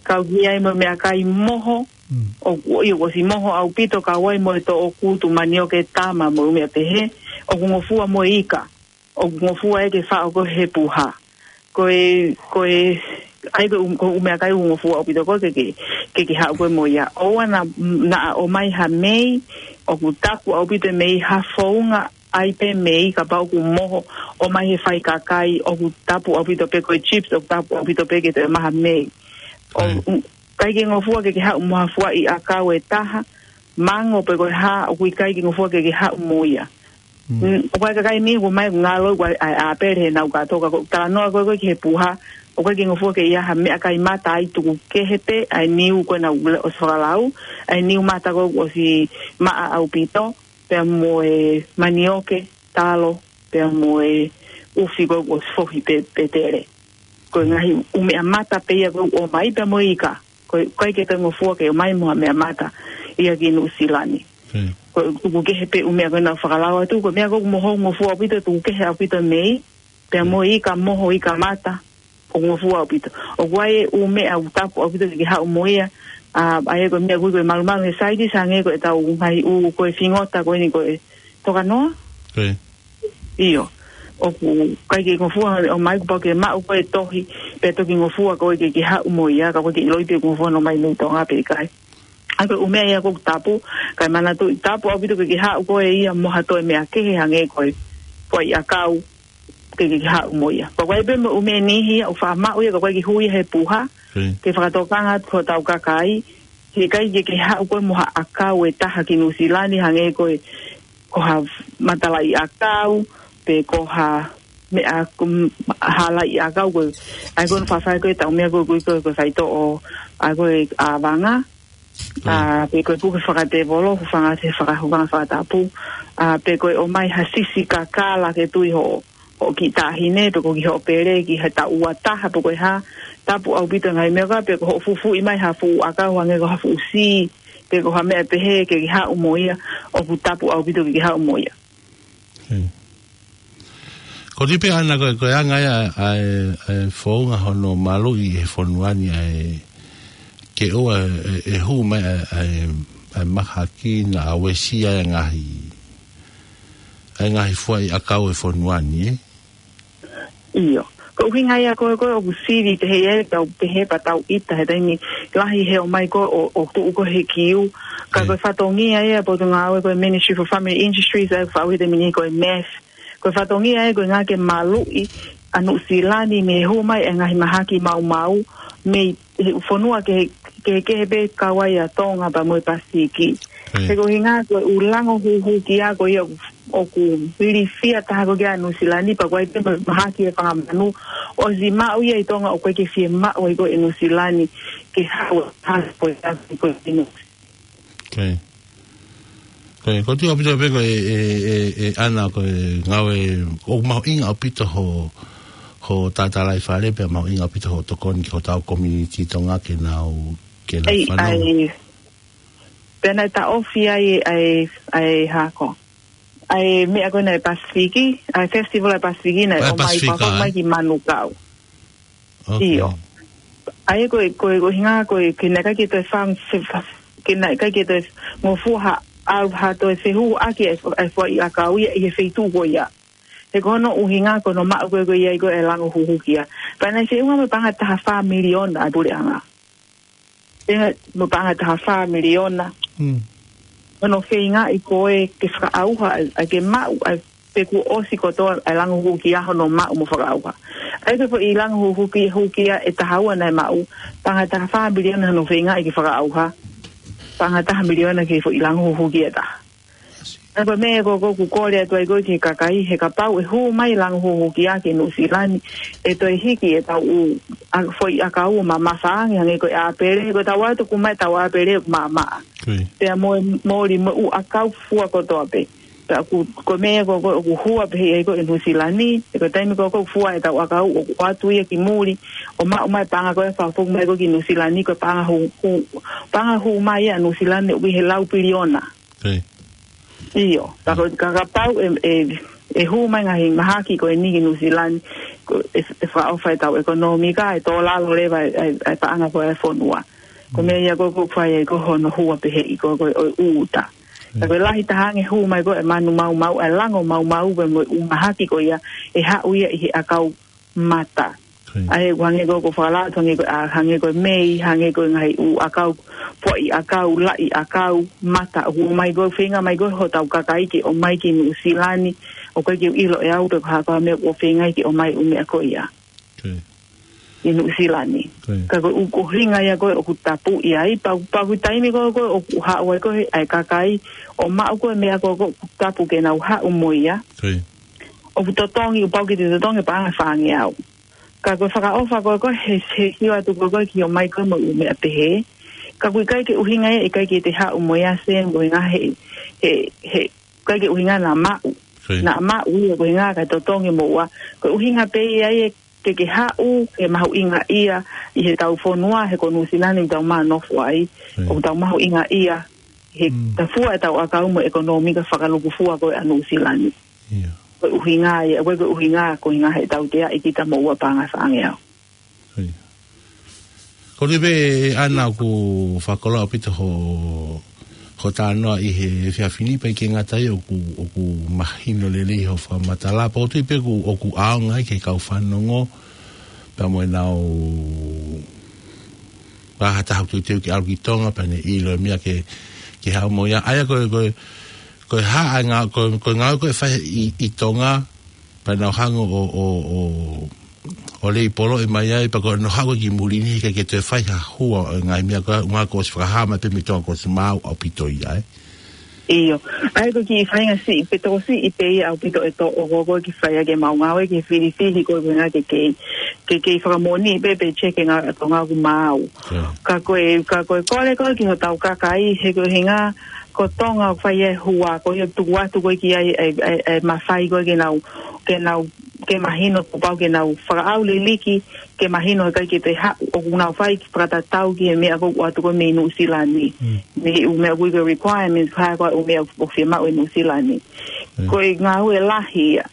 Kau ki ai mo e meʻakai moho, ʻoku, ʻio, kuo ʻosi moho ʻaupito, kau ai mo e toʻokutu, manioke tama mo e ʻū meʻa pehē, ʻoku ngofua mo e ika, ʻoku ngofua ia ke faʻo ko ē he puha. Ko e, ko e, ʻa ia ko e ʻū, ko e ʻū meʻakai ʻoku ngofua ʻaupito ko ē ke, ke, ke ke haʻu ko ē mo ia. ʻOua naʻa, naʻa ʻomai ha mei, ʻoku tapu ʻaupito e mei, ha founga ʻai pē mei, kapau ʻoku moho, ʻomai he faʻi kakai, ʻoku tapu ʻaupito pē ko e chips, ʻoku tapu ʻaupito pē ke toe maʻu ha mei. ʻO, ʻikai ke ngofua ke ke haʻu mo ha fuaʻi ʻakau ʻe taha, mango pe ko e hā, ʻoku ʻikai ke ngofua ke ke haʻu mo ia. Mm, ʻoku ʻi ai e kakai ʻe niʻihi ʻoku ʻomai ʻoku ngalo ʻoku ʻi ai ʻa e ʻapele heʻenau kātoa, ka ko e talanoa ko ē ko ē ki he puha, ʻoku ʻikai ke ngofua ke ʻi ai ha meʻakai mata ai, tuku kehe pē ʻa e niu ko ē naʻa ku ʻosi fakalau, ʻa e niu mata ko ē ʻoku ʻosi maʻa ʻaupito, pea mo e manioke, talo, pea mo e ʻufi ko ē ʻoku ʻosi fohi pē, pē tele. Ko e ngaahi ʻū meʻa mata pē ia ko ē ʻoku ʻomai, pea mo e ika. Ko e, ʻoku ʻikai ke toe ngofua ke ʻomai mo ha meʻa mata ia ki Nuʻusila ni. Mm. Ko e tuku kehe pē ʻū meʻa ko ē naʻa ku fakalau atu, ko e meʻa ko ē ʻoku moho ngofua ʻaupito, tuku kehe ʻaupito mei, pea mo e ika moho, ika mata, ʻoku ngofua ʻaupito. ʻOku ʻi ai e ʻū meʻa ʻoku tapu ʻaupito ke ke haʻu mo ia, ʻa, ʻa ia ko e meʻa ko ē ko e malumalu he saitis, hangē ko ʻetau ngaahi ʻū ko e fingota ko eni ko e tokanoa. Mm. ʻIo. ʻOku ʻikai ke ngofua ʻomai, kuo pau ke maʻu ko ē tohi, pea toki ngofua ko ē ke ke haʻu mo ia, ka ʻoku ʻikai ke ʻiloʻi pe ʻoku ngofua ʻomai mei Tonga pe ʻikai. ʻA ia ko e ʻū meʻa ia ʻoku tapu, kae manatuʻi tapu ʻaupito ke ke haʻu ko ē ia mo ha toe meʻa kehe hangē ko e, ko e ʻakau, ke ke haʻu mo ia. Ko e ʻai pē mo e ʻū meʻa ʻe niʻihi ia ʻoku faʻa maʻu ia, ka ʻoku ʻikai ke hū ia he puha, Mm. ke fakatokanga atu ki hotau kakai, he ʻikai ke ke haʻu ko ē mo ha ʻakau ʻe taha ki Nuʻusila ni hangē ko e, ko ha matalaʻiʻakau, pe ko ha meʻa, ko ha laʻiʻakau ko ē. ʻA ia ko hono faʻafaʻahi ko ē ʻetau meʻa ko ē ko e, ko e, ko e faitoʻo, ʻa ia ko e ʻāvanga, ʻa, pe ko e puke fakatēvolo, hūfanga he faka-, hūfanga fakatapu, ʻa, pe ko e ʻomai ha sisi kakala ke tui hoʻo, hoʻo kiʻi taʻahine, pe ko e kiʻi hoʻo pele, ki he taʻu ua taha, pe ko e hā, tapu ʻaupito ngaahi meʻa ko ē, pe ko hoʻo fufuuʻi mai ha fuʻu ʻakau, hangē ko ha fuʻu sī, pe ko ha meʻa pehē ke ke haʻu mo ia, ʻoku tapu ʻaupito ke ke haʻu mo ia. Hmm. Ko e pehē ʻana ko e, ko e anga ia ʻa e, ʻa e founga hono maluʻi he fonua ni ʻa e, ke ʻoua ʻe, ʻe hū mai ʻa e, ʻa e, ʻa e mahaki naʻa uesia e ngaahi, ʻa e ngaahi fuaʻi ʻakau he fonua ni, ē? ʻIo. Ko e ʻuhinga ia ko ē, ko ē ʻoku sivi pehē ia, tau pehē pea tau ʻita he taimi lahi he ʻomai ko ē ʻo, ʻo tuʻu ko ē he kiu. Ka Mm. ko e fatongia ia ʻa e potungāue ko e Ministry for Family Industries, ʻa ia ʻoku faʻu he taimi ni ko e MEF. Ko e fatongia ia ko e ʻuhinga ke maluʻi ʻa Nuʻusila ni mei he hū mai e ngaahi mahaki maumau, mei he fonua kehe, kehe, kehe pē kau ai ʻa Tonga pea mo e Pasifiki. Mm. He ko e ʻuhinga ko e ʻū lango huhuki ia ko ia ʻoku, ʻoku ilifia taha ko ē kia Nuʻusila ni, pea ko e ʻai pē mo e mahaki e fanga manu, ʻosi maʻu ia ʻi Tonga ʻoku ʻikai ke fiemaʻu ai ko ē ʻe Nuʻusila ni ke haʻu ʻo hana ko e ʻasi ko ē ʻi Nuʻusila. Okay. Ko e, ko e tui ʻaupito pē ko e, ʻe, ʻe, ʻe, ʻana ko e ngāue, ʻoku mahuʻinga ʻaupito ho, ho tatalaifale pea mahuʻinga ʻaupito ho tokoni ki hotau community Tonga ke nau, ke nau Ei, fanongo. Ai, pea naʻe taʻofi ai, ai, ai hako. Ai meʻa ko ē naʻe Pasifiki, ai festival ʻa e Pasifiki naʻe ʻOmai Pasifika, papa ē? Mai ki Manukau. Okay. ʻIo. ʻA ia ko e, ko e, ko e ʻuhinga ko e, ke naʻe ʻikai ke toe fang-, fe-, fa-, ke naʻe ʻikai ke toe ngofua ha, ʻa, ha toe fehuhuʻaki e, e fuaʻi ʻakau ia ʻi he feituʻu ko ia. He ko hono ʻuhinga ko hono maʻu ko ē ko ia ʻi ko e lango huhuki ia. Pea naʻe feʻunga mo e paʻanga ʻe taha fā miliona ʻa e puleʻanga. Tenga mo e paʻanga ʻe taha fā miliona. Hmm. Hono feingaʻi ko ē ke fakaʻauha, ʻa e, ʻa e ke maʻu, ʻa e pe kuo ʻosi kotoa ʻa e lango huhuki ia hono maʻu mo fakaʻauha. ʻA ia ko e foʻi lango huhuki, huhuki ia ʻe taha ua naʻe maʻu, paʻanga ʻe taha fā miliona hono feingaʻi ke fakaʻauha. Paʻanga ʻe taha miliona ki he foʻi lango huhuki ia ʻe taha. ʻA ia ko e meʻa ko ē ʻoku ou kole atu ai ko ē ki he kakai, he kapau ʻe hū mai lango huhuki ia ki Nuʻusila ni, ʻe toe hiki ʻetau ʻū, ʻa, foʻi ʻakau ʻo mamafa ange, hangē ko e ʻāpele, ko ʻetau ʻatu ʻoku maʻu ʻetau ʻāpele ʻoku maʻamaʻa. Kui. Pea mo e moli mo e ʻū ʻakau fua kotoa pē. Pea ʻoku, ko e meʻa ko ē ʻoku hua pehē ai ko ē ʻe Nuʻusila ni, he ko e taimi ko ē ʻoku fua ʻetau ʻakau ʻoku ʻoatu ia ki muli, ʻo maʻu mai paʻanga ko ē fakafoki mai ko ē ki Nuʻusila ni, ko e paʻanga hū, hū, paʻanga hū mai ia ʻa Nuʻusila ni ʻoku ʻi he lau piliona. Pē. ʻIo, ka ko, ka kapau ʻe, ʻe, ʻe hū mai ngaahi mahaki ko eni ki Nuʻusila ni, ko e, ʻe fakaʻofa ʻetau ʻekonōmika, ʻe tō lalo leva ʻa e, ʻa e, ʻa e paʻanga ko ē ʻa e fonua. Ko e meʻa ia ko ē ʻoku fai ai ko ē hono hua pehē ʻi ko ē, ko e ʻū uta. Ka ko e lahi taha ange hū mai ko ē ʻa e manu maumau, ʻa e lango maumau pea mo e ʻū mahaki ko ia, ʻe haʻu ia ʻi he ʻakau mata. Kui. ʻA ia ʻoku hangē ko ē ʻoku ou fakalau atu, hangē ko ē, ʻa, hangē ko e mei, hangē ko e ngaahi ʻū ʻakau, fuaʻi ʻakau, laʻi ʻakau, mata, ʻoku ʻomai ko ē, feinga mai ko ē hotau kakai ke ʻomai ki Nuʻusila ni, ʻoku ʻikai ke u ʻilo ʻe au pe ko e hā ko ā e meʻa ʻoku feinga ai ke ʻomai e ʻū meʻa ko ia. Kui. ʻi Nuʻusila ni. Ka ko e ʻuhinga ia ko ē ʻoku tapu ia ai, pea, pea ko e taimi ko ē ʻoku haʻu ai ko ē ʻa e kakai ʻo maʻu ko ē meʻa ko ē ʻoku tapu ke nau haʻu mo ia. ʻOku totongi, ʻoku pau ke te totongi paʻanga fāngeau. Ka ko e fakaʻofa ko ē ko ē he, he sio atu ko ē ko ē ki ʻomai ko ē mo e ʻū meʻa pehē. Ka ʻoku ʻikai ke ʻuhinga ia, ʻikai ke te haʻu mo ia Sam, ko e ʻuhinga he, he, he, ʻikai ke ʻuhinga naʻa maʻu. Naʻa maʻu ia ko e ʻuhinga kae totongi mo ua. Ko e ʻuhinga pē ia ia ke ke haʻu, ke mahuʻinga ia ʻi heʻetau fonua, he ko Nuʻusila ni ʻoku tau manofo ai. ʻOku tau mahuʻinga ia he tafua ʻetau ʻakau mo e ʻekonōmika fakalukufua ko ē ʻa Nuʻusila ni. Ko e ʻuhinga ia, ko e ʻuhinga, ko e ʻuhinga he tautea ʻi kita mo ua paʻanga fāngeau. Ko e pē ʻana ʻoku fakakoloa ʻaupito ho, ho talanoa ʻi he efiafi ni, pea ʻikai ke ngata ai ʻoku, ʻoku mahino lelei ho fakamatala, pea ʻoku ou tui pē ʻoku, ʻoku ʻaonga ai ki he kau fanongo, pea mo e nau, ʻa ha taha ʻoku teuteu ke ʻalu ki Tonga, pea ne ʻilo e meʻa ke, ke haʻu mo ia. ʻA ia ko e, ko e, ko e hā ʻa e ngā-, ko e, ko e ngāue ko ē ʻe fai ʻi, ʻi Tonga, pea nau hanga ʻo, ʻo, ʻo, ʻo leipolo ʻe mai ai, pea ko e nau haʻu ki muli ni, ʻikai ke toe fai ha hua ʻo e ngaahi meʻa ko ē, ʻuhinga kuo ʻosi fakahā mai pē mei Tonga kuo ʻosi maau ʻaupito ia, ē. ʻIo. ʻA ia ko e kiʻi faʻahinga siʻi, pe tokosiʻi pē ia ʻaupito ʻe toʻo ko ē ke fai ʻaki ʻemau ngāue ke filifili ko e ʻuhinga ke kei, ke kei fakamoʻoni pē pe check e ngāue ʻa Tonga ʻoku maau. Ka ko e, ka ko e kole ko ē ki hotau kakai, he ko e ʻuhinga ko Tonga ʻoku fai e hua, ko ia tuku atu ko ē ki ai e, e, e mafai ko ē ke nau, ke nau, ke mahino kuo pau ke nau fakaʻau liliki, ke mahino he ʻikai ke te haʻu, ʻoku nau fai ke fakatatau ki he meʻa ko ē ʻoku ʻoatu ko ē mei Nuʻusila ni. Mei he ʻū meʻa ko ē ko e requirements, ko e hā ko ē ʻū meʻa ʻoku fiemaʻu ʻe Nuʻusila ni. Ko e ngāue lahi ia.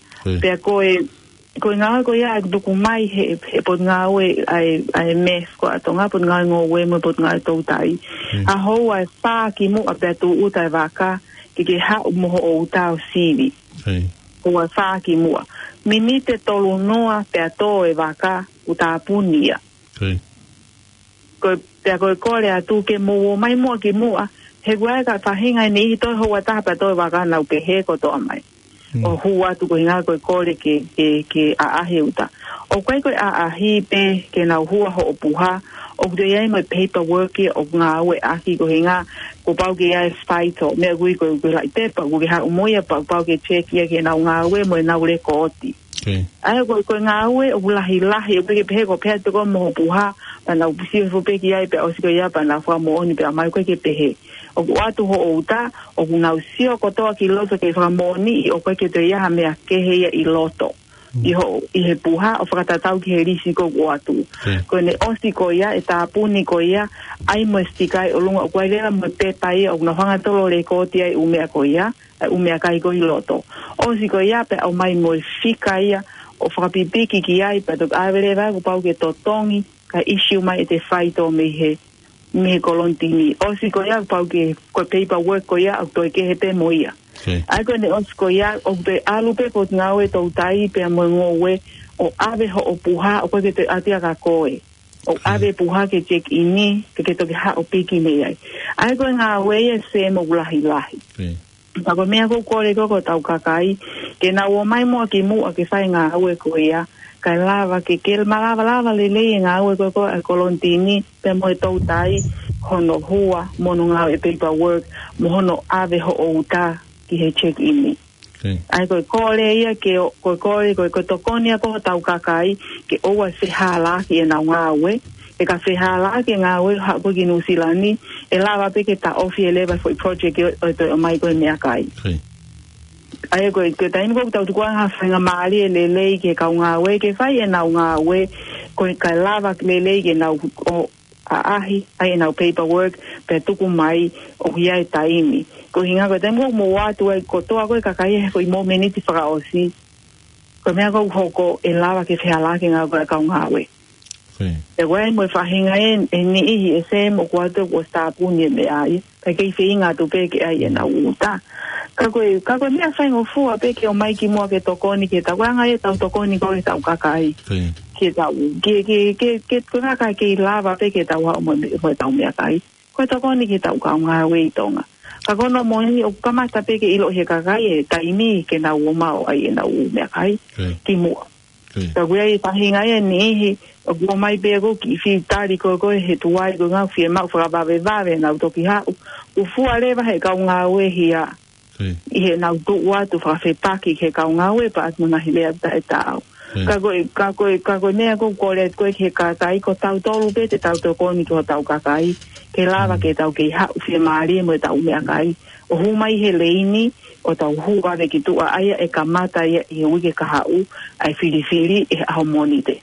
Pea ko e, ko e ngāue ko ia ʻoku tuku mai he, he potungāue ʻa e, ʻa e MEF ko ē ʻa Tonga, potungāue ngoue mo e potungāue toutai. ʻA houa ʻe fā kimuʻa pea tūʻuta e vaka, ke ke haʻu mo hoʻo uta ʻo sivi. Houa ʻe fā kimuʻa. Miniti ʻe tolu noa pea tō e vaka, kuo tāpuni ia. Ko e, pea ko e kole atu ke mou ō mai muʻa kimuʻa, he ʻoku ʻi ai e faʻahinga ʻe niʻihi toe houa ʻe taha pea toe vaka nau pehē kotoa mai. ʻO hū atu ko e ʻuhinga ko e kole ke, ke, ke ʻaʻahi e uta. ʻOku ʻikai ko e ʻaʻahi pē ke nau hua hoʻo puha, ʻoku toe ʻi ai mo e paperwork ia ʻoku ngāueʻaki ko e ʻuhinga kuo pau ke ʻi ai e faito, meʻa ko ē ko e, ko e laʻi pepa, kuo ke haʻu mo ia pea kuo pau ke check ia ke nau ngāue mo ʻenau lekooti. ʻA ia ko e, ko e ngāue ʻoku lahilahi, ʻoku ʻikai ke pehē ko e pehē atu ko ē mo hoʻo puha, pea nau sio hifo pē ki ai, pea ʻosi ko ia, pea nau fakamoʻoni, pea ʻomai, ʻoku ʻikai ke pehē. ʻOku ʻoatu hoʻo uta, ʻoku nau sio kotoa ki loto ke fakamoʻoniʻi ʻoku ʻikai ke toe ʻi ai ha meʻa kehe ia ʻi loto. ʻI hoʻo, ʻi he puha ʻo fakatatau ki he lisi ko ē ʻoku ʻoatu. Ko ʻene ʻosi ko ia, ʻe tāpuni ko ia, ʻai mo e sikai ʻi ʻolunga, ʻoku ʻi ai leva mo e pepa ia, ʻoku nau hanga ʻo tolo lekooti ai e ʻū meʻa ko ia, e ʻū meʻakai ko ē ʻi loto. ʻOsi ko ia pea ʻomai mo e fika ia ʻo fakapipiki ki ai, pea toki ʻave leva kuo pau ke totongi, kae issue mai ʻe te faito mei he, mei he kolonitini. ʻOsi ko ia kuo pau ke, ko e paperwork ko ia, ʻoku toe kehe pē mo ia. ʻA ia ko ʻene ʻosi ko ia, ʻoku toe ʻalu pē potungāue toutai pea mo e ngoue, ʻo ʻave hoʻo puha, ʻoku ʻikai ke toe ʻatu ia kia koe. ʻO ʻave puha ke check in, ke ke toki haʻu ʻo piki mei ai. ʻA ia ko e ngāue ia Sam ʻoku lahilahi. Ka ko e meʻa ʻoku ou kole ko ē ki hotau kakai, ke nau ō mai muʻa kimuʻa ke fai e ngāue ko ia, kae lava ke, ke malava lava lelei e ngāue ko ē ʻa e kolonitini, pea mo e toutai, hono hua, mo hono ngāue e paperwork, mo hono ʻave hoʻo uta ki he check in. ʻA ia ko e kole ia ke ʻo, ko e kole, ko e, ko e tokoni ia ki hotau kakai, ke ʻoua ʻe fehālaaki ʻenau ngāue, he ka fehālaaki e ngāue haʻu ko ē ki Nuʻusila ni, ʻe lava pē ke taʻofi ʻe leva e foʻi project ʻo, ʻo, ʻo ʻomai ko ē e meʻakai. ʻA ia ko e, ko e taimi ko ē ʻoku tau tukuange ha faingamālie lelei ki he kau ngāue, ke fai ʻenau ngāue, ko e kae lava lelei ke nau ō ʻaʻahi ʻa ʻenau paperwork, pea tuku mai ʻoku ʻi ai e taimi. Ko e ʻuhinga ko e taimi ko ē ʻoku mou ō atu ai kotoa ko ē kakai he foʻi momeniti fakaʻosi, ko e meʻa ko ē ʻoku hoko ʻe lava ke fehālaaki e ngāue ʻa e kau ngāue. Pea ʻoku ʻi ai mo e faʻahinga ʻe, ʻe niʻihi ʻe Sam ʻoku ʻoatu kuo ʻosi tāpuni e meʻa ia. Pea kei feinga atu pē ke ʻai ʻenau uta. Ka ko e, ka ko e meʻa faingofua pē ke ō mai kimuʻa ke tokoni ki heʻetau, ko e anga ia ʻetau tokoni ko ē ki heʻetau kakai. Ke tau, ke, ke, ke, ke, ko e kakai kei lava pē ke tau haʻu mo, mo ʻetau meʻakai. Ko e tokoni ki heʻetau kau ngāue ʻi Tonga. Ka ko hono moʻoni ʻoku kamata pē ke ʻilo ʻe he kakai e taimi ke nau ō mai ʻo ʻai ʻenau meʻakai kimuʻa. Ka ko e faʻahinga ia e niʻihi, ʻoku ʻomai pē ko e kiʻi fitali ko ē ko ē he tuai ko e ngāue fiemaʻu fakavavevave nau toki haʻu. ʻOku fua leva he kau ngāue ia ʻi heʻenau tuʻu atu fakafepaki he kau ngāue pea ʻatu ngaahi lea taʻetaau. Ka ko e, ka ko e, ka ko e meʻa ko ē ʻoku ou kole atu ko ē ki he kakai ko tautolu pē te tau tokoni ki hotau kakai, ke lava ke tau kei haʻu fiemālie mo ʻetau meʻakai. ʻO hū mai he leini, ʻo tau hū vave ki tuʻa ʻa ia ʻe kamata ia ʻi he uike kahaʻu, ʻa e filifili ʻi he ʻaho Mōnite.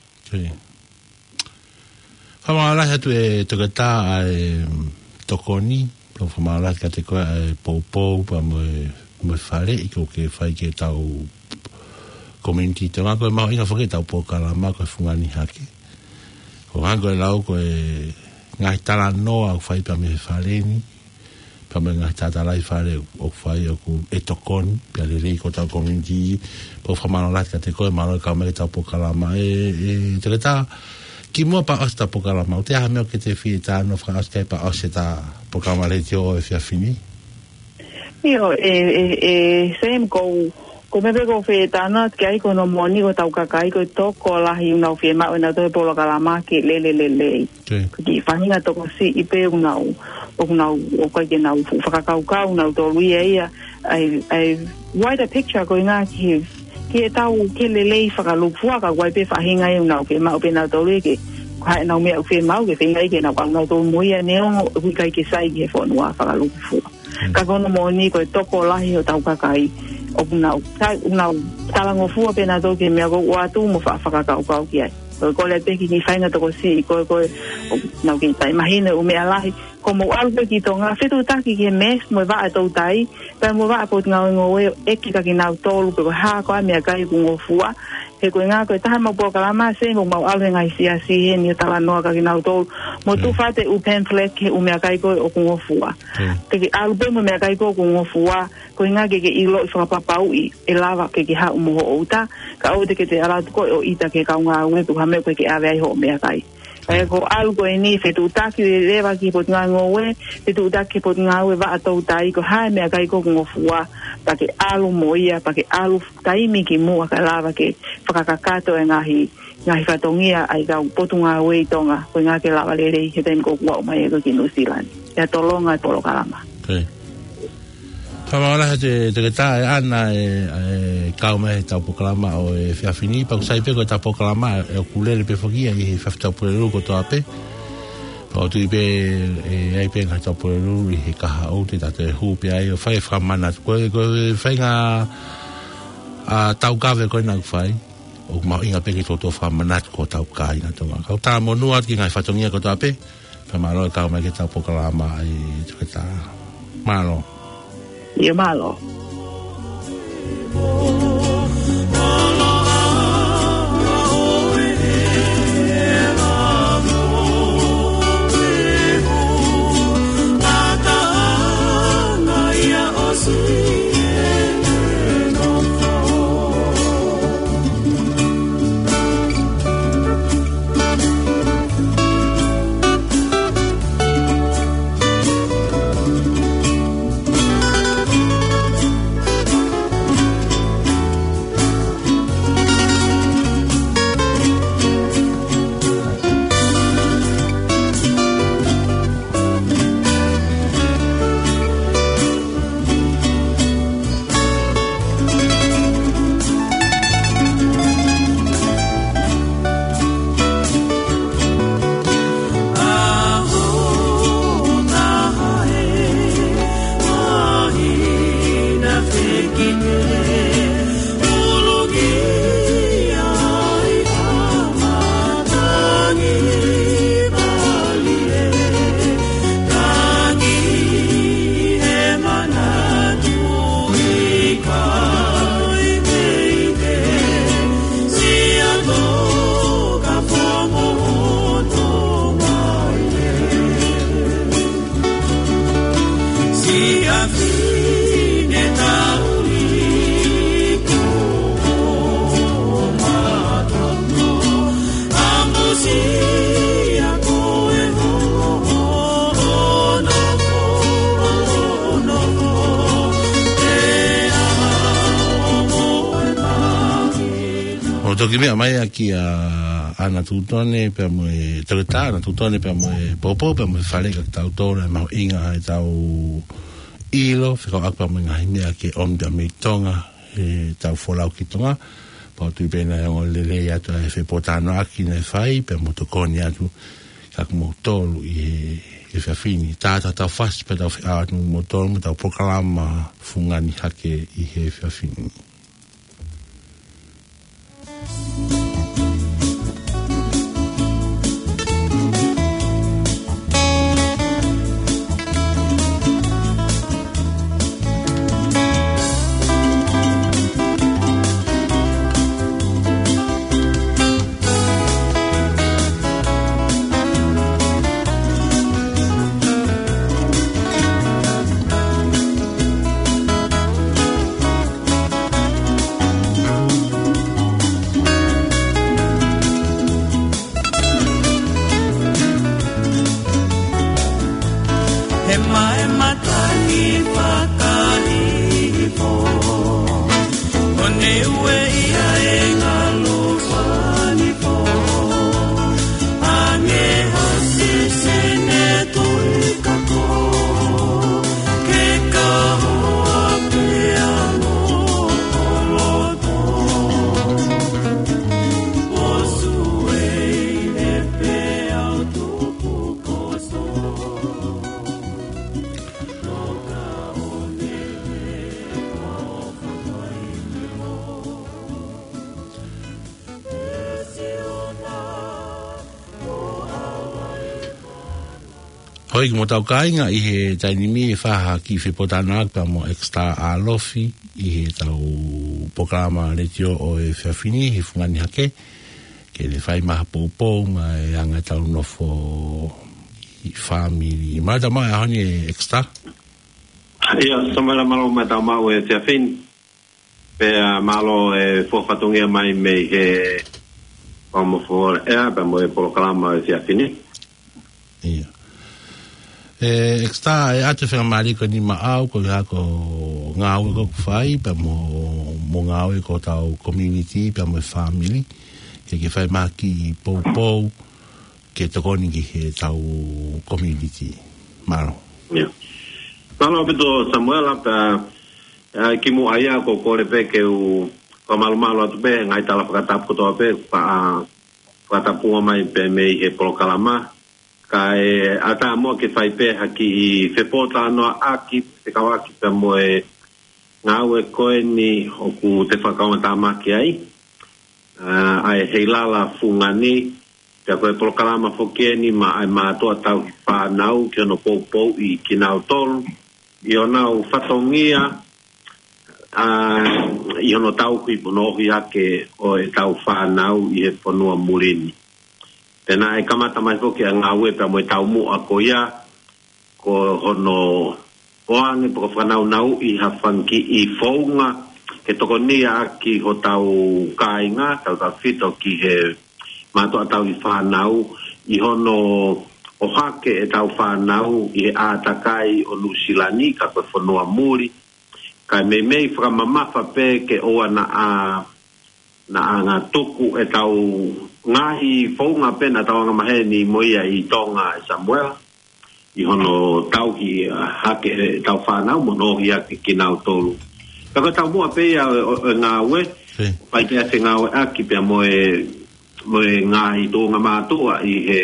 Fakamālō lahi atu ʻe Toketā ʻa e tokoni, pea fakamālō lahi kiate koe ʻa e poupou, pea mo e, mo e faleʻi ʻoku ke fai ki heʻetau community Tonga, ko e mahuʻinga foki ʻetau polokalama ko e Fungani Hake. Ko e hangē ko e lau ko e ngaahi talanoa ʻoku fai pea mei he fale ni, pea mo e ngaahi tātālahi fale ʻoku fai ʻoku ʻe tokoni, pea lelei ki hotau community, pea fakamālō lahi kiate koe, mālō e kau mai ki heʻetau polokalama ʻe, ʻe Toketā. Kimuʻa pea ʻosi ʻetau polokalama, ʻoku toe ʻi ai ha meʻa ʻoku ke fie talanoa fakaʻosi ki ai pea ʻosi ʻetau polokalama letiō ʻo e efiafi ni? ʻIo, ʻe, ʻe, ʻe, Sam, ko, ko e meʻa pē ʻoku ou fie talanoa ki ai ko hono moʻoni ko hotau kakai ko e tokolahi ʻoku nau fiemaʻu ʻe nautolu e polokalama ke lele lelei. Ko e kiʻi faʻahinga tokosiʻi pē ʻoku nau, ʻoku nau, ʻoku ʻikai ke nau fuʻu fakakaukau nautolu ia ia, ʻa e, ʻa e wider picture ko e ngaahi ki he, ki heʻetau, ki he lelei fakalūkufua, ka ʻoku ʻi ai pē faʻahinga ia ʻoku nau fiemaʻu pē nautolu ia ke, ko e hā ʻenau meʻa ʻoku fiemaʻu ke feinga ke nau ʻalu nautolu mo ia neongo ʻoku ʻikai ke sai ki he fonua fakalūkufua. Ka ko hono moʻoni ko e tokolahi hotau kakai ʻoku nau, ka, ʻoku nau talangofua pē nautolu ki he meʻa ʻoku ou ʻoatu mo fa-, fakakaukau ki ai. Ko e kole pē ki he kiʻi faʻahinga tokosiʻi ko ē ko ē ʻoku nau kei taʻemahino e ʻū meʻa lahi. Ko hoʻomou ʻalu pē ki Tonga, fetuʻutaki ki he MEST mo e vaʻa toutai, pea mo e vaʻa potungāue ngoue ʻo ʻeke kia kinautolu pe ko e hā koā e meʻakai ʻoku ngofua. He ko e ʻuhinga ko e taha ʻemau polokalama, Sam, ʻoku mau ʻalu he ngaahi siasi heni ʻo talanoa kia kinautolu. Mo tufa atu e ʻū pamphlet ki he ʻū meʻakai ko ē ʻoku ngofua. Te ke ʻalu pē mo e meʻakai ko ē ʻoku ngofua, ko e ʻuhinga ke ke ʻiloʻi fakapapauʻi ʻe lava ke ke haʻu mo hoʻo uta, kae ʻoua te ke toe ʻalu atu koe ʻo ʻita ki he kau ngāue pe ko ha meʻa ʻoku ʻikai ke ʻave ai hoʻo meʻakai. Kae ko e ʻalu ko eni fetuʻutaki leva ki he potungāue ngoue, fetuʻutaki ki he potungāue vaʻa toutai, ko e hā e meʻakai ʻoku ngofua, pea ke ʻalu mo ia, pea ke ʻalu taimi kimuʻa kae lava ke fakakakato e ngaahi, ngaahi fatongia ʻa e kau potungāue ʻi Tonga, ko e ʻuhinga ke lava lelei he taimi ʻoku aʻu mai ai ko ē ki Nuʻusila ni. ʻIa tolonga e polokalama. Fakamālō lahi atu ʻe Toketā ʻe ʻAna ʻe, ʻe kau mai heʻetau polokalama ʻo e efiafi ni, pea ʻoku sai pē ko ʻetau polokalama ʻe ʻoku lele pē foki ia ʻi he efiafi Taupoleʻulu kotoa pē. Pea ʻoku ou tui pē ʻe ʻi ai pē ngaahi Taupoleʻulu ʻi he kahaʻu te tau toe hū pē ai ʻo fai e fakamanatu ko ē, ko e faʻahinga, ʻa, taukave ko ē naʻa ku fai. ʻOku mahuʻinga pē ke toutou fakamanatu ki hotau kāinga Tonga. Kau tā monū atu ki he ngaahi fatongia kotoa pē. Fakamālō e kau mai ki heʻetau polokalama ʻe Toketā. Mālō. ʻIo, mālō. ʻO Toki meʻa mai ʻa kia Ana Tutone pea mo e, Toketā Ana Tutone pea mo e popo pea mo e fale ka tau tō na mahuʻinga ʻetau ʻilo, fekauʻaki pea mo e ngaahi meʻa ke ʻomi pea mei Tonga, ʻetau folau ki Tonga, pea ʻoku ou tui pē naʻe ongo lelei atu ʻa e fepōtalanoaʻaki naʻe fai, pea mo tokoni atu, ka ko moutolu ʻi he, he efiafi ni, tā atu ʻetau fasi pea tau feʻao atu mo moutolu mo ʻetau polokalama fungani hake ʻi he efiafi ni. He maʻe matangi fakahihifo, ʻo ne ueʻia e ngalo fanifo, ange ho sisine tui kako, ke kahoa pea mo koloto. Hoi, ki mo tau kāinga ʻi he taimi ni, ʻe fai ha kiʻi fepōtalanoaʻaki pea mo Exeter ʻAlofi ʻi heʻetau polokalama letiō ʻo e efiafi ni, he fungani hake, ke ne fai mai ha poupou maʻa e anga ʻetau nofo ʻi fāmili. Mālō e tau maʻu e ʻaho ni, Exeter. ʻIo, Samuela, mālō e tau maʻu e efiafi ni. Pea mālō e fua fatongia mai mei he Fakamoʻui Foʻou ʻEa, pea mo e polokalama ʻo e efiafi ni. ʻIo. ʻE, Exeter, ʻe ʻoatu e faingamālie ko eni maʻau, ko e hā ko e ngāue ʻoku fai, pea mo, mo e ngāue ʻa hotau community, pea mo e fāmili, ke ke fai mai ha kiʻi poupou, ke tokoni ki heʻetau community. Mālō. ʻIo. Mālō ʻaupito Samuela, pea, ʻa, kimuʻa ia ʻoku ou kole pē ke u fakamalumalu atu pē, ngaahi tala fakatapu kotoa pē, fa-, fakatapu mai pē mei he polokalama. Kae ʻatā muʻa ke fai pē ha kiʻi fepōtalanoaʻaki, fekauʻaki pea mo e ngāue ko eni ʻoku te fakakaungātāmaki ai. ʻA, ʻa e Heilala Fungani, pea ko e polokalama foki eni maʻa e mātuʻa tauhi fānau ki hono poupouʻi kinautolu, ʻi honau fatongia, ʻa, ʻi hono tauhi mo hono ʻohake ʻo ʻetau fānau ʻi he fonua muli ni. Pea naʻe kamata mai foki ʻa e ngāue pea mo e taumuʻa ko ia, ko hono ʻoange pe ko e fakanaunauʻi ha fanga kiʻi founga ke tokoniʻaki hotau kāinga, tautautefito ki he mātuʻa tauhi fānau, ʻi hono ʻohake ʻetau fānau ʻi he ʻātakai ʻo Nuʻusila ni, ka ko e fonua muli. Kae meimei fakamamafa pē ke ʻoua naʻa, naʻa ngatuku ʻetau ngaahi founga pē naʻa tau angamaheni mo ia ʻi Tonga, ʻe Samuela, ʻi hono tauhi, ʻa, hake ʻetau fānau mo hono ʻohake kinautolu. Ka ko e taumuʻa pē ia ʻo, ʻo, ʻo e ngāue, Fē. Fai pē ʻa e fengāueʻaki pea mo e, mo e ngaahi tuʻunga mātuʻa ʻi he,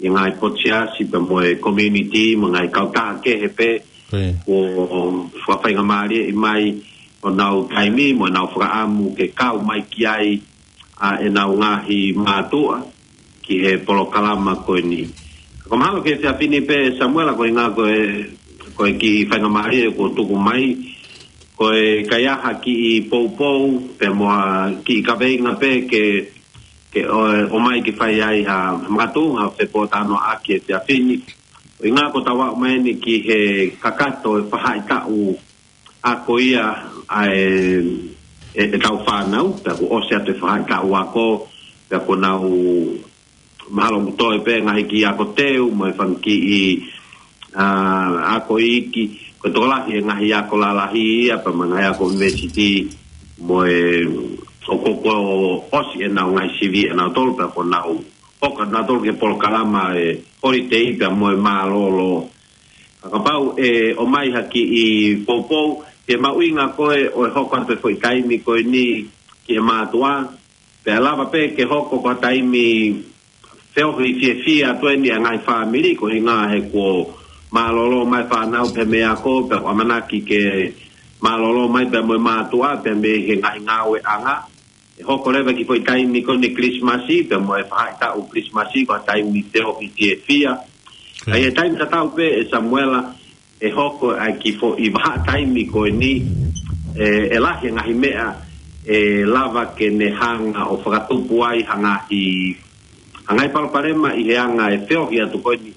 ʻi he ngaahi potu siasi pea mo e community, mo e ngaahi kautaha kehe pē, Fē. ʻO, ʻo fakafaingamālieʻi mai honau taimi, mo ʻenau fakaʻamu ke kau mai ki ai, ʻa ʻenau ngaahi mātuʻa ki he polokalama ko eni. Ko e mahalo ki he efiafi ni pē Samuela ko e ʻuhinga ko e, ko e kiʻi faingamālie kuo tuku mai, ko e kaihaʻa kiʻi poupou, pea mo ha kiʻi kaveinga pē ke, ke ʻo, ʻomai ke fai ai ha, ha makatuʻunga fepōtalanoaʻaki he efiafi ni. Ko e ʻuhinga ko ʻetau aʻu mai eni ki he kakato e faʻahitaʻu ako ia ʻa e, ʻe, ʻetau fānau, pea kuo ʻosi atu e faʻahitaʻu ako, pea kuo nau mahalo ʻoku toe pē ngaahi kiʻi ako teu, mo e fanga kiʻi, ʻa, ako iiki, ko e tokolahi e ngaahi ako lalahi ia, pea mo e ngaahi ako university, mo e, ʻoku, ʻoku ʻosi ʻenau ngaahi sivi ʻenau tolu pea ko ʻenau hoko ʻenau tolu ki he polokalama e holiday pea mo e mālōlō. Ka kapau ʻe ʻomai ha kiʻi poupou, ke mahuʻinga ko ē ʻo e hoko atu e foʻi taimi ko eni ki he mātuʻa, pea lava pē ke hoko ko ha taimi feohi fiefia atu eni ʻa e ngaahi fāmili, ko e ʻuhinga he kuo mālōlō mai fānau pea mei he ako, pea ʻoku ʻamanaki ke mālōlō mai pea mo e mātuʻa, pea mei he ngaahi ngāueʻanga. ʻE hoko leva ki he foʻi taimi ko eni Kilisimasi, pea mo e faʻahitaʻu Kilisimasi, ko ha taimi feohi fiefia. Ka ʻi he taimi tatau pē ʻe Samuela, ʻe hoko ʻa e kiʻi foʻi vahaʻa taimi ko eni, ʻe, ʻe lahi e ngaahi meʻa, ʻe lava ke ne hanga ʻo fakatupu ai ha ngaahi, ha ngaahi palopalema ʻi he anga e feohi atu ko eni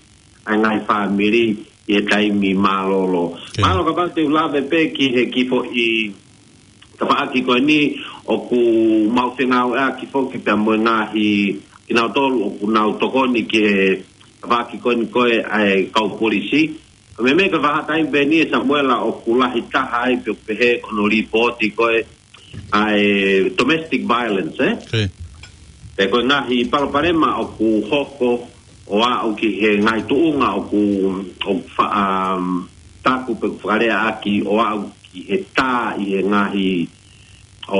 ʻa e ngaahi fāmili ʻi he taimi mālōlō. Mālō kapau te u lave pē ki he kiʻi foʻi tafaʻaki ko eni ʻoku mau fengāueʻaki foki pea mo e ngaahi kinautolu ʻoku nau tokoni ki he tafaʻaki ko eni ko e ʻa e kau polisi. Ko e meʻa ko e vahaʻa taimi pē eni ʻe Samuela ʻoku lahi taha ai pe ʻoku pehē ko hono lipooti ko e ʻa e domestic violence, ē? Pe ko e ngaahi palopalema ʻoku hoko ʻo aʻu ki he ngaahi tuʻunga ʻoku, ʻoku fa-, um, taku pe ʻoku fakaleaʻaki ʻo aʻu ki he tā ʻi he ngaahi ʻo,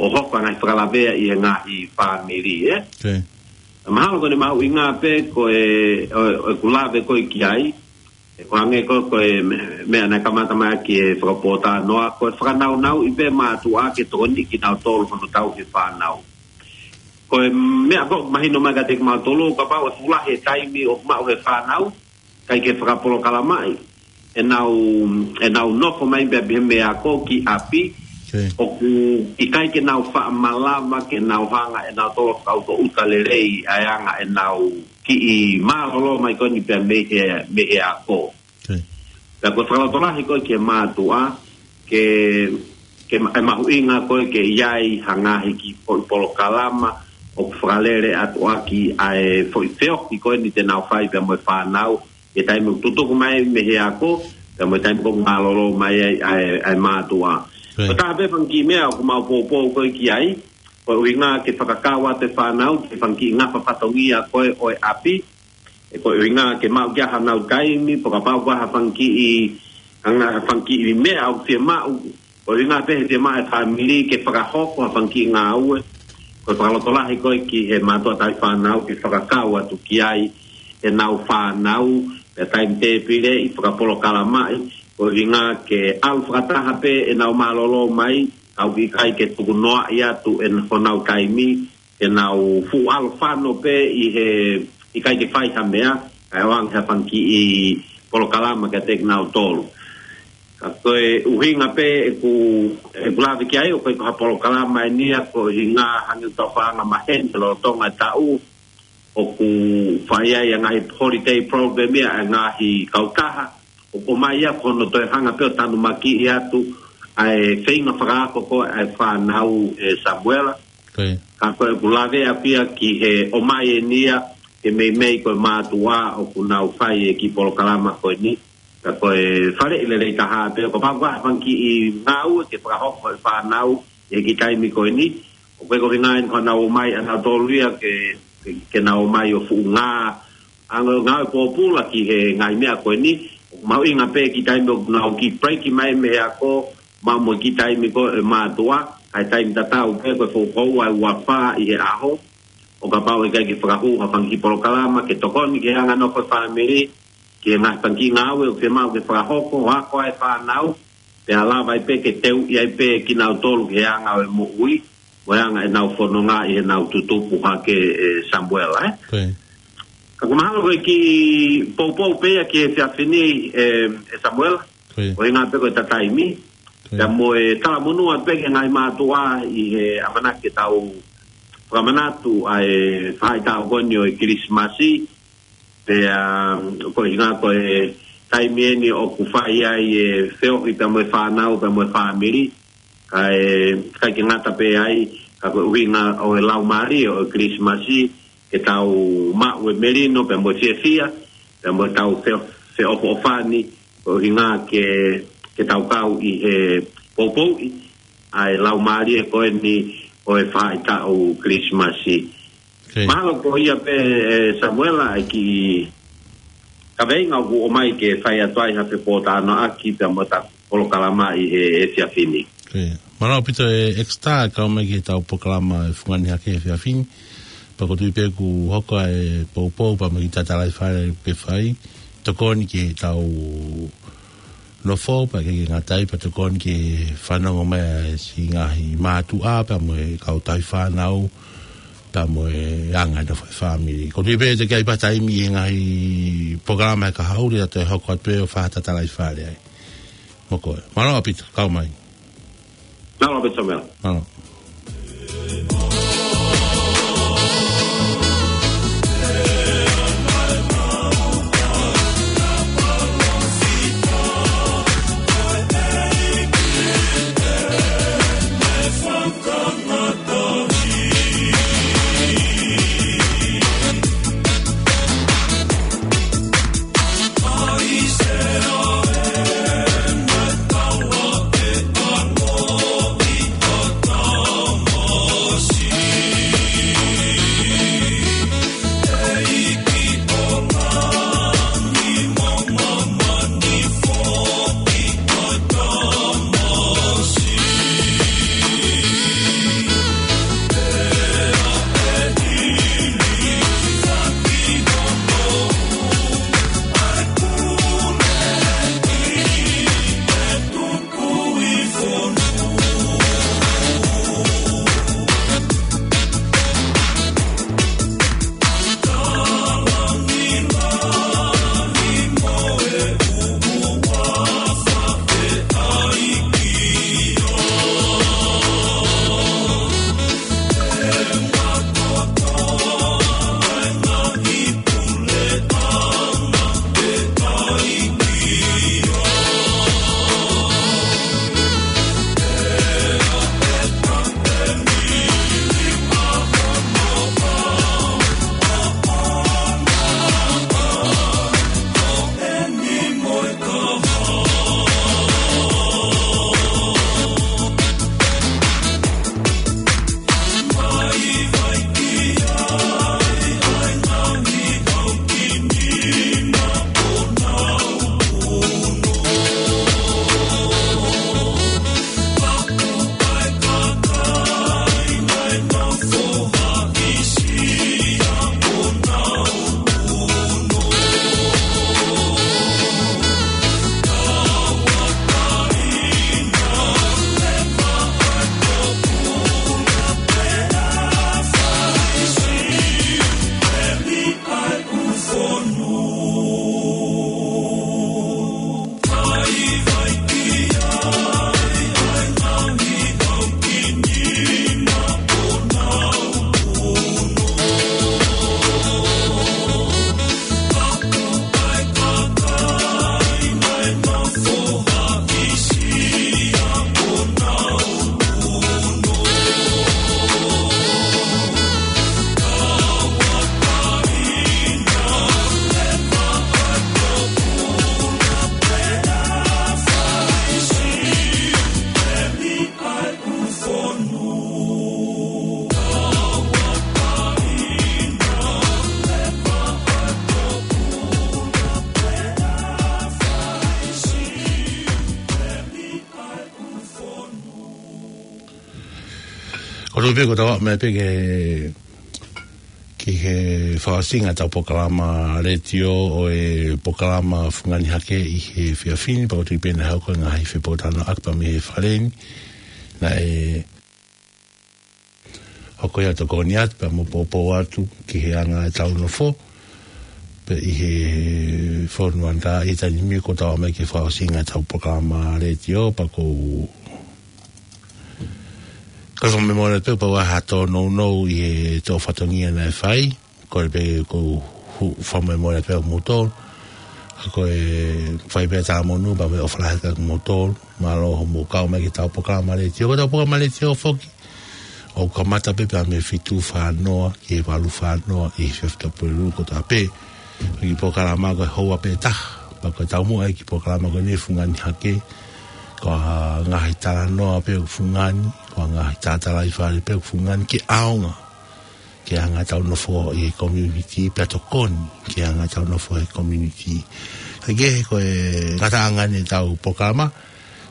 ʻo hoko ʻa e ngaahi fakalavea ʻi he ngaahi fāmili, ē? Mahalo ko ʻene mahuʻinga pē ko e, ʻo, ʻo ʻeku lave ko ē ki ai, ʻe ko e hangē ko, ko e me-, meʻa naʻe kamata mai ki he fakapōtalanoa, ko e fakanaunauʻi pē mātuʻa ke tokoniʻi kinautolu hono tauhi e fānau. Ko e meʻa ko ē mahino mai kiate kimautolu, kapau ʻe fuʻu lahi e taimi ʻoku maʻu ʻe he fānau, ʻikai ke fakapolokalamaʻi ʻenau, ʻenau nofo mai pē pea mei he ako ki ʻapi, ʻoku ʻikai ke nau faʻa malava ke nau hanga ʻe nautolu ʻo fakaʻutoʻuta lelei ʻa e anga ʻenau kiʻi mālōlō mai ko eni pea mei he, mei he ako. Pea ko e fakalotolahi ko ē ki he mātuʻa, ke, ke ma-, ʻe mahuʻinga ko ē ke ʻi ai ha ngaahi kiʻi foʻi polokalama ʻoku fakalele atu ʻaki ʻa e foʻi feohi ko eni te nau fai pea mo e fānau, ʻi he taimi ʻoku tutuku mai mei he ako, pea mo e taimi ʻoku mālōlō mai ai ʻa e, ʻa e mātuʻa. Ko e taha pē fanga kiʻi meʻa ʻoku mau poupou ko ē ki ai, ko e ʻuhinga ke fakakau atu e fānau ki he fanga kiʻi ngafa fatongia ko ē ʻo e ʻapi, ʻe ko e ʻuhinga ke maʻu ki ai hanau taimi, pe kapau ko ha fanga kiʻi, anga ha fanga kiʻi meʻa ʻoku fiemaʻu, ko e ʻuhinga pē he fiemaʻu e fāmili ke fakahoko ha fanga kiʻi ngāue, ko e fakalotolahi ko ē ki he mātuʻa tauhi fānau ke fakakau atu ki ai ʻenau fānau, pea taimi tēpile ʻi fakapolokalamaʻi, ko e ʻuhinga ke ʻalu fakataha pē ʻenau mālōlō mai, ʻoku ʻikai ke tukunoaʻi atu ʻe honau taimi, ke nau fuʻu ʻalu fano pē ʻi he ʻikai ke fai ha meʻa, kae ʻoange ha fanga kiʻi polokalama kiate kinautolu. Ka ko e ʻuhinga pē ʻeku, ʻeku lave ki ai, ʻoku ʻikai ko ha polokalama eni ia, ko e ʻuhinga hangē ʻoku tau faʻa anga maheni he lolotonga e taʻu, ʻoku fai ai ʻa e ngaahi holiday program ia ʻa e ngaahi kautaha, ʻoku ʻomai ia ko hono toe hanga pē ʻo tanumakiʻi atu ʻa e feinga fakaako ko ē ʻa e fānau ʻe Samuela. Ka ko ʻeku lave ʻaupito ia ki he ʻomai eni ia ke meimei ko e mātuʻa ʻoku nau fai e kiʻi polokalama ko eni. Ka ko e faleʻi lelei taha pē, kapau ko ha fanga kiʻi ngāue ke fakahoko ʻe he fānau ʻi he kiʻi taimi ko eni. ʻOku ʻikai ko e ʻuhinga eni ko ʻenau ō mai ʻanautolu ia ke, ke, ke nau ō mai ʻo fuʻu ngā anga ngāue pōpula ki he ngaahi meʻa ko eni. ʻOku mahuʻinga pē kiʻi taimi ʻoku nau kiʻi break mai mei he ako, maʻu mo e kiʻi taimi ko ē ʻa e mātuʻa, kae taimi tatau pē ko e foʻi houa ʻe uofā ʻi he ʻaho. ʻO kapau ʻe ʻikai ke fakahū ha fanga kiʻi polokalama ke tokoni ki he anga nofo e fāmili, ki he ngaahi fanga kiʻi ngāue ʻoku fiemaʻu ke fakahoko, ʻo ako ʻa e fānau, pea lava ai pē ke teuʻi ai pē kinautolu ki he anga ʻo e moʻui, mo e anga ʻenau fononga ʻi heʻenau tutupu hake ʻe Samuela, ē? Ka ʻoku mahalo ko e kiʻi poupou pē ia ki he efiafi ni ʻe, ʻe Samuela, ko e ʻuhinga pē ko e taimi. Pea mo e talamonū atu pē ki he ngaahi mātuʻa ʻi he ʻamanaki ke tau fakamanatu ʻa e faʻahitaʻu ko eni ʻo e Kilisimasi, pea ko e ʻuhinga ko e taimi eni ʻoku fai ai e feohi pea mo e fānau, pea mo e fāmili, kae, ʻikai ke ngata pē ai, ka ko e ʻuhinga ʻo e laumālie ʻo e Kilisimasi, ke tau maʻu e melino, pea mo e fiefia, pea mo e tau fe-, feʻofoʻofani, ko e ʻuhinga ke, ke tau kau ʻi he poupouʻi ʻa e laumālie ko eni ʻo e faʻahitaʻu Kilisimasi. Mahalo ko ia pē, ʻe Samuela, ʻa e kiʻi kaveinga ʻoku ʻomai ke fai atu ai ha fepōtalanoaʻaki pea mo ʻeta polokalama ʻi he efiafi ni. Mālō ʻaupito ʻe Exeter, kau mai ki heʻetau polokalama ʻa e Fungani Hake he efiafi ni. Pea ʻoku ou tui pē ʻoku hoko ʻa e poupou pea mo e kiʻi tatalaifale ke fai. Tokoni ki heʻetau nofo, pea ʻikai ke ngata ai, pea tokoni ke fanongo mai ʻa e siʻi ngaahi mātuʻa pea mo e kau tauhi fānau, pea mo e anga e nofo ʻa e fāmili. ʻOku ou tui pē te ke ʻi ai pē ha taimi ʻi he ngaahi polokalama ʻe kahaʻu, te ta toe hoko atu pē ʻo fai ha tatalaifale ai. Mo koe. Mālō ʻaupito, kau mai. Mālō ʻaupito, Samuela. Mālō. ʻOku ou tui pē kuo tau aʻu mai pē ki he, ki he fakaʻosinga ʻetau polokalama letiō ʻo e polokalama Fungani Hake ʻi he efiafi ni, pea ʻoku ou tui pē naʻe hoko e ngaahi fepōtalanoaʻaki pea mei he fale ni. Naʻe hoko ia ʻo tokoni atu pea mo poupou atu ki he anga ʻetau nofo pē ʻi he fonua ni. Ka ʻi he taimi ni kuo tau aʻu mai ki he fakaʻosinga ʻetau polokalama letiō, pea ʻoku ou, ʻoku ou fakamolemole pē, pea ʻoku ʻi ai ha tōnounou ʻi he tō fatongia naʻe fai, kole pē ke u hu-, fakamolemole pē ʻa kimoutolu. Ka ko e fai pē talamonū pea mo e ʻofa lahi kia kimoutolu. Mālō hoʻomou kau mai ki heʻetau polokalama letiō. Ko ʻetau polokalama letiō foki ʻoku kamata pē pea mei he fitu fā noa ki he valu fā noa ʻi he efiafi Tuʻapulelulu kotoa pē. Ko e kiʻi polokalama ko e houa pē taha. Pea ko e taumuʻa e kiʻi polokalama ko eni Fungani Hake, ko e ngaahi talanoa pē ʻoku fungani, ko e ngaahi tatalaifale pē ʻoku fungani ke ʻaonga, ke ʻaonga ʻetau nofo ʻi he community pea tokoni ke ʻaonga ʻetau nofo he community. Kae kehe ko e ngataʻanga eni ʻetau polokalama,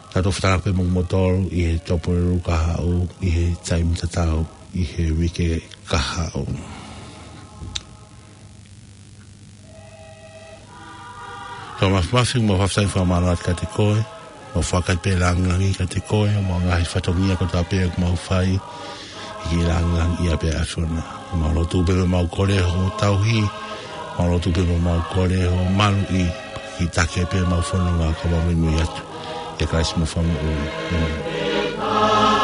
tau toki fetalanoaʻaki pē mo kimoutolu ʻi he Tuʻapulelulu kahaʻu ʻi he taimi tatau ʻi he uike kahaʻu. Tau mafimafi mo e fakafetaʻi fakamālō atu kiate koe, mo e fakafetaʻi pē lāngilangi kiate koe, mo e ngaahi fatongia kotoa pē ʻoku mau fai, ʻi he lāngilangiʻia pē ʻa e ʻAfiona. Mau lotu pē mo mau kole hoʻo tauhi, mau lotu pē mo mau kole hoʻo maluʻi, ki he taki pē ʻemau fononga ka mau muimui atu. ʻIa Kalaisi homau Fakamoʻui. ʻĒmeni.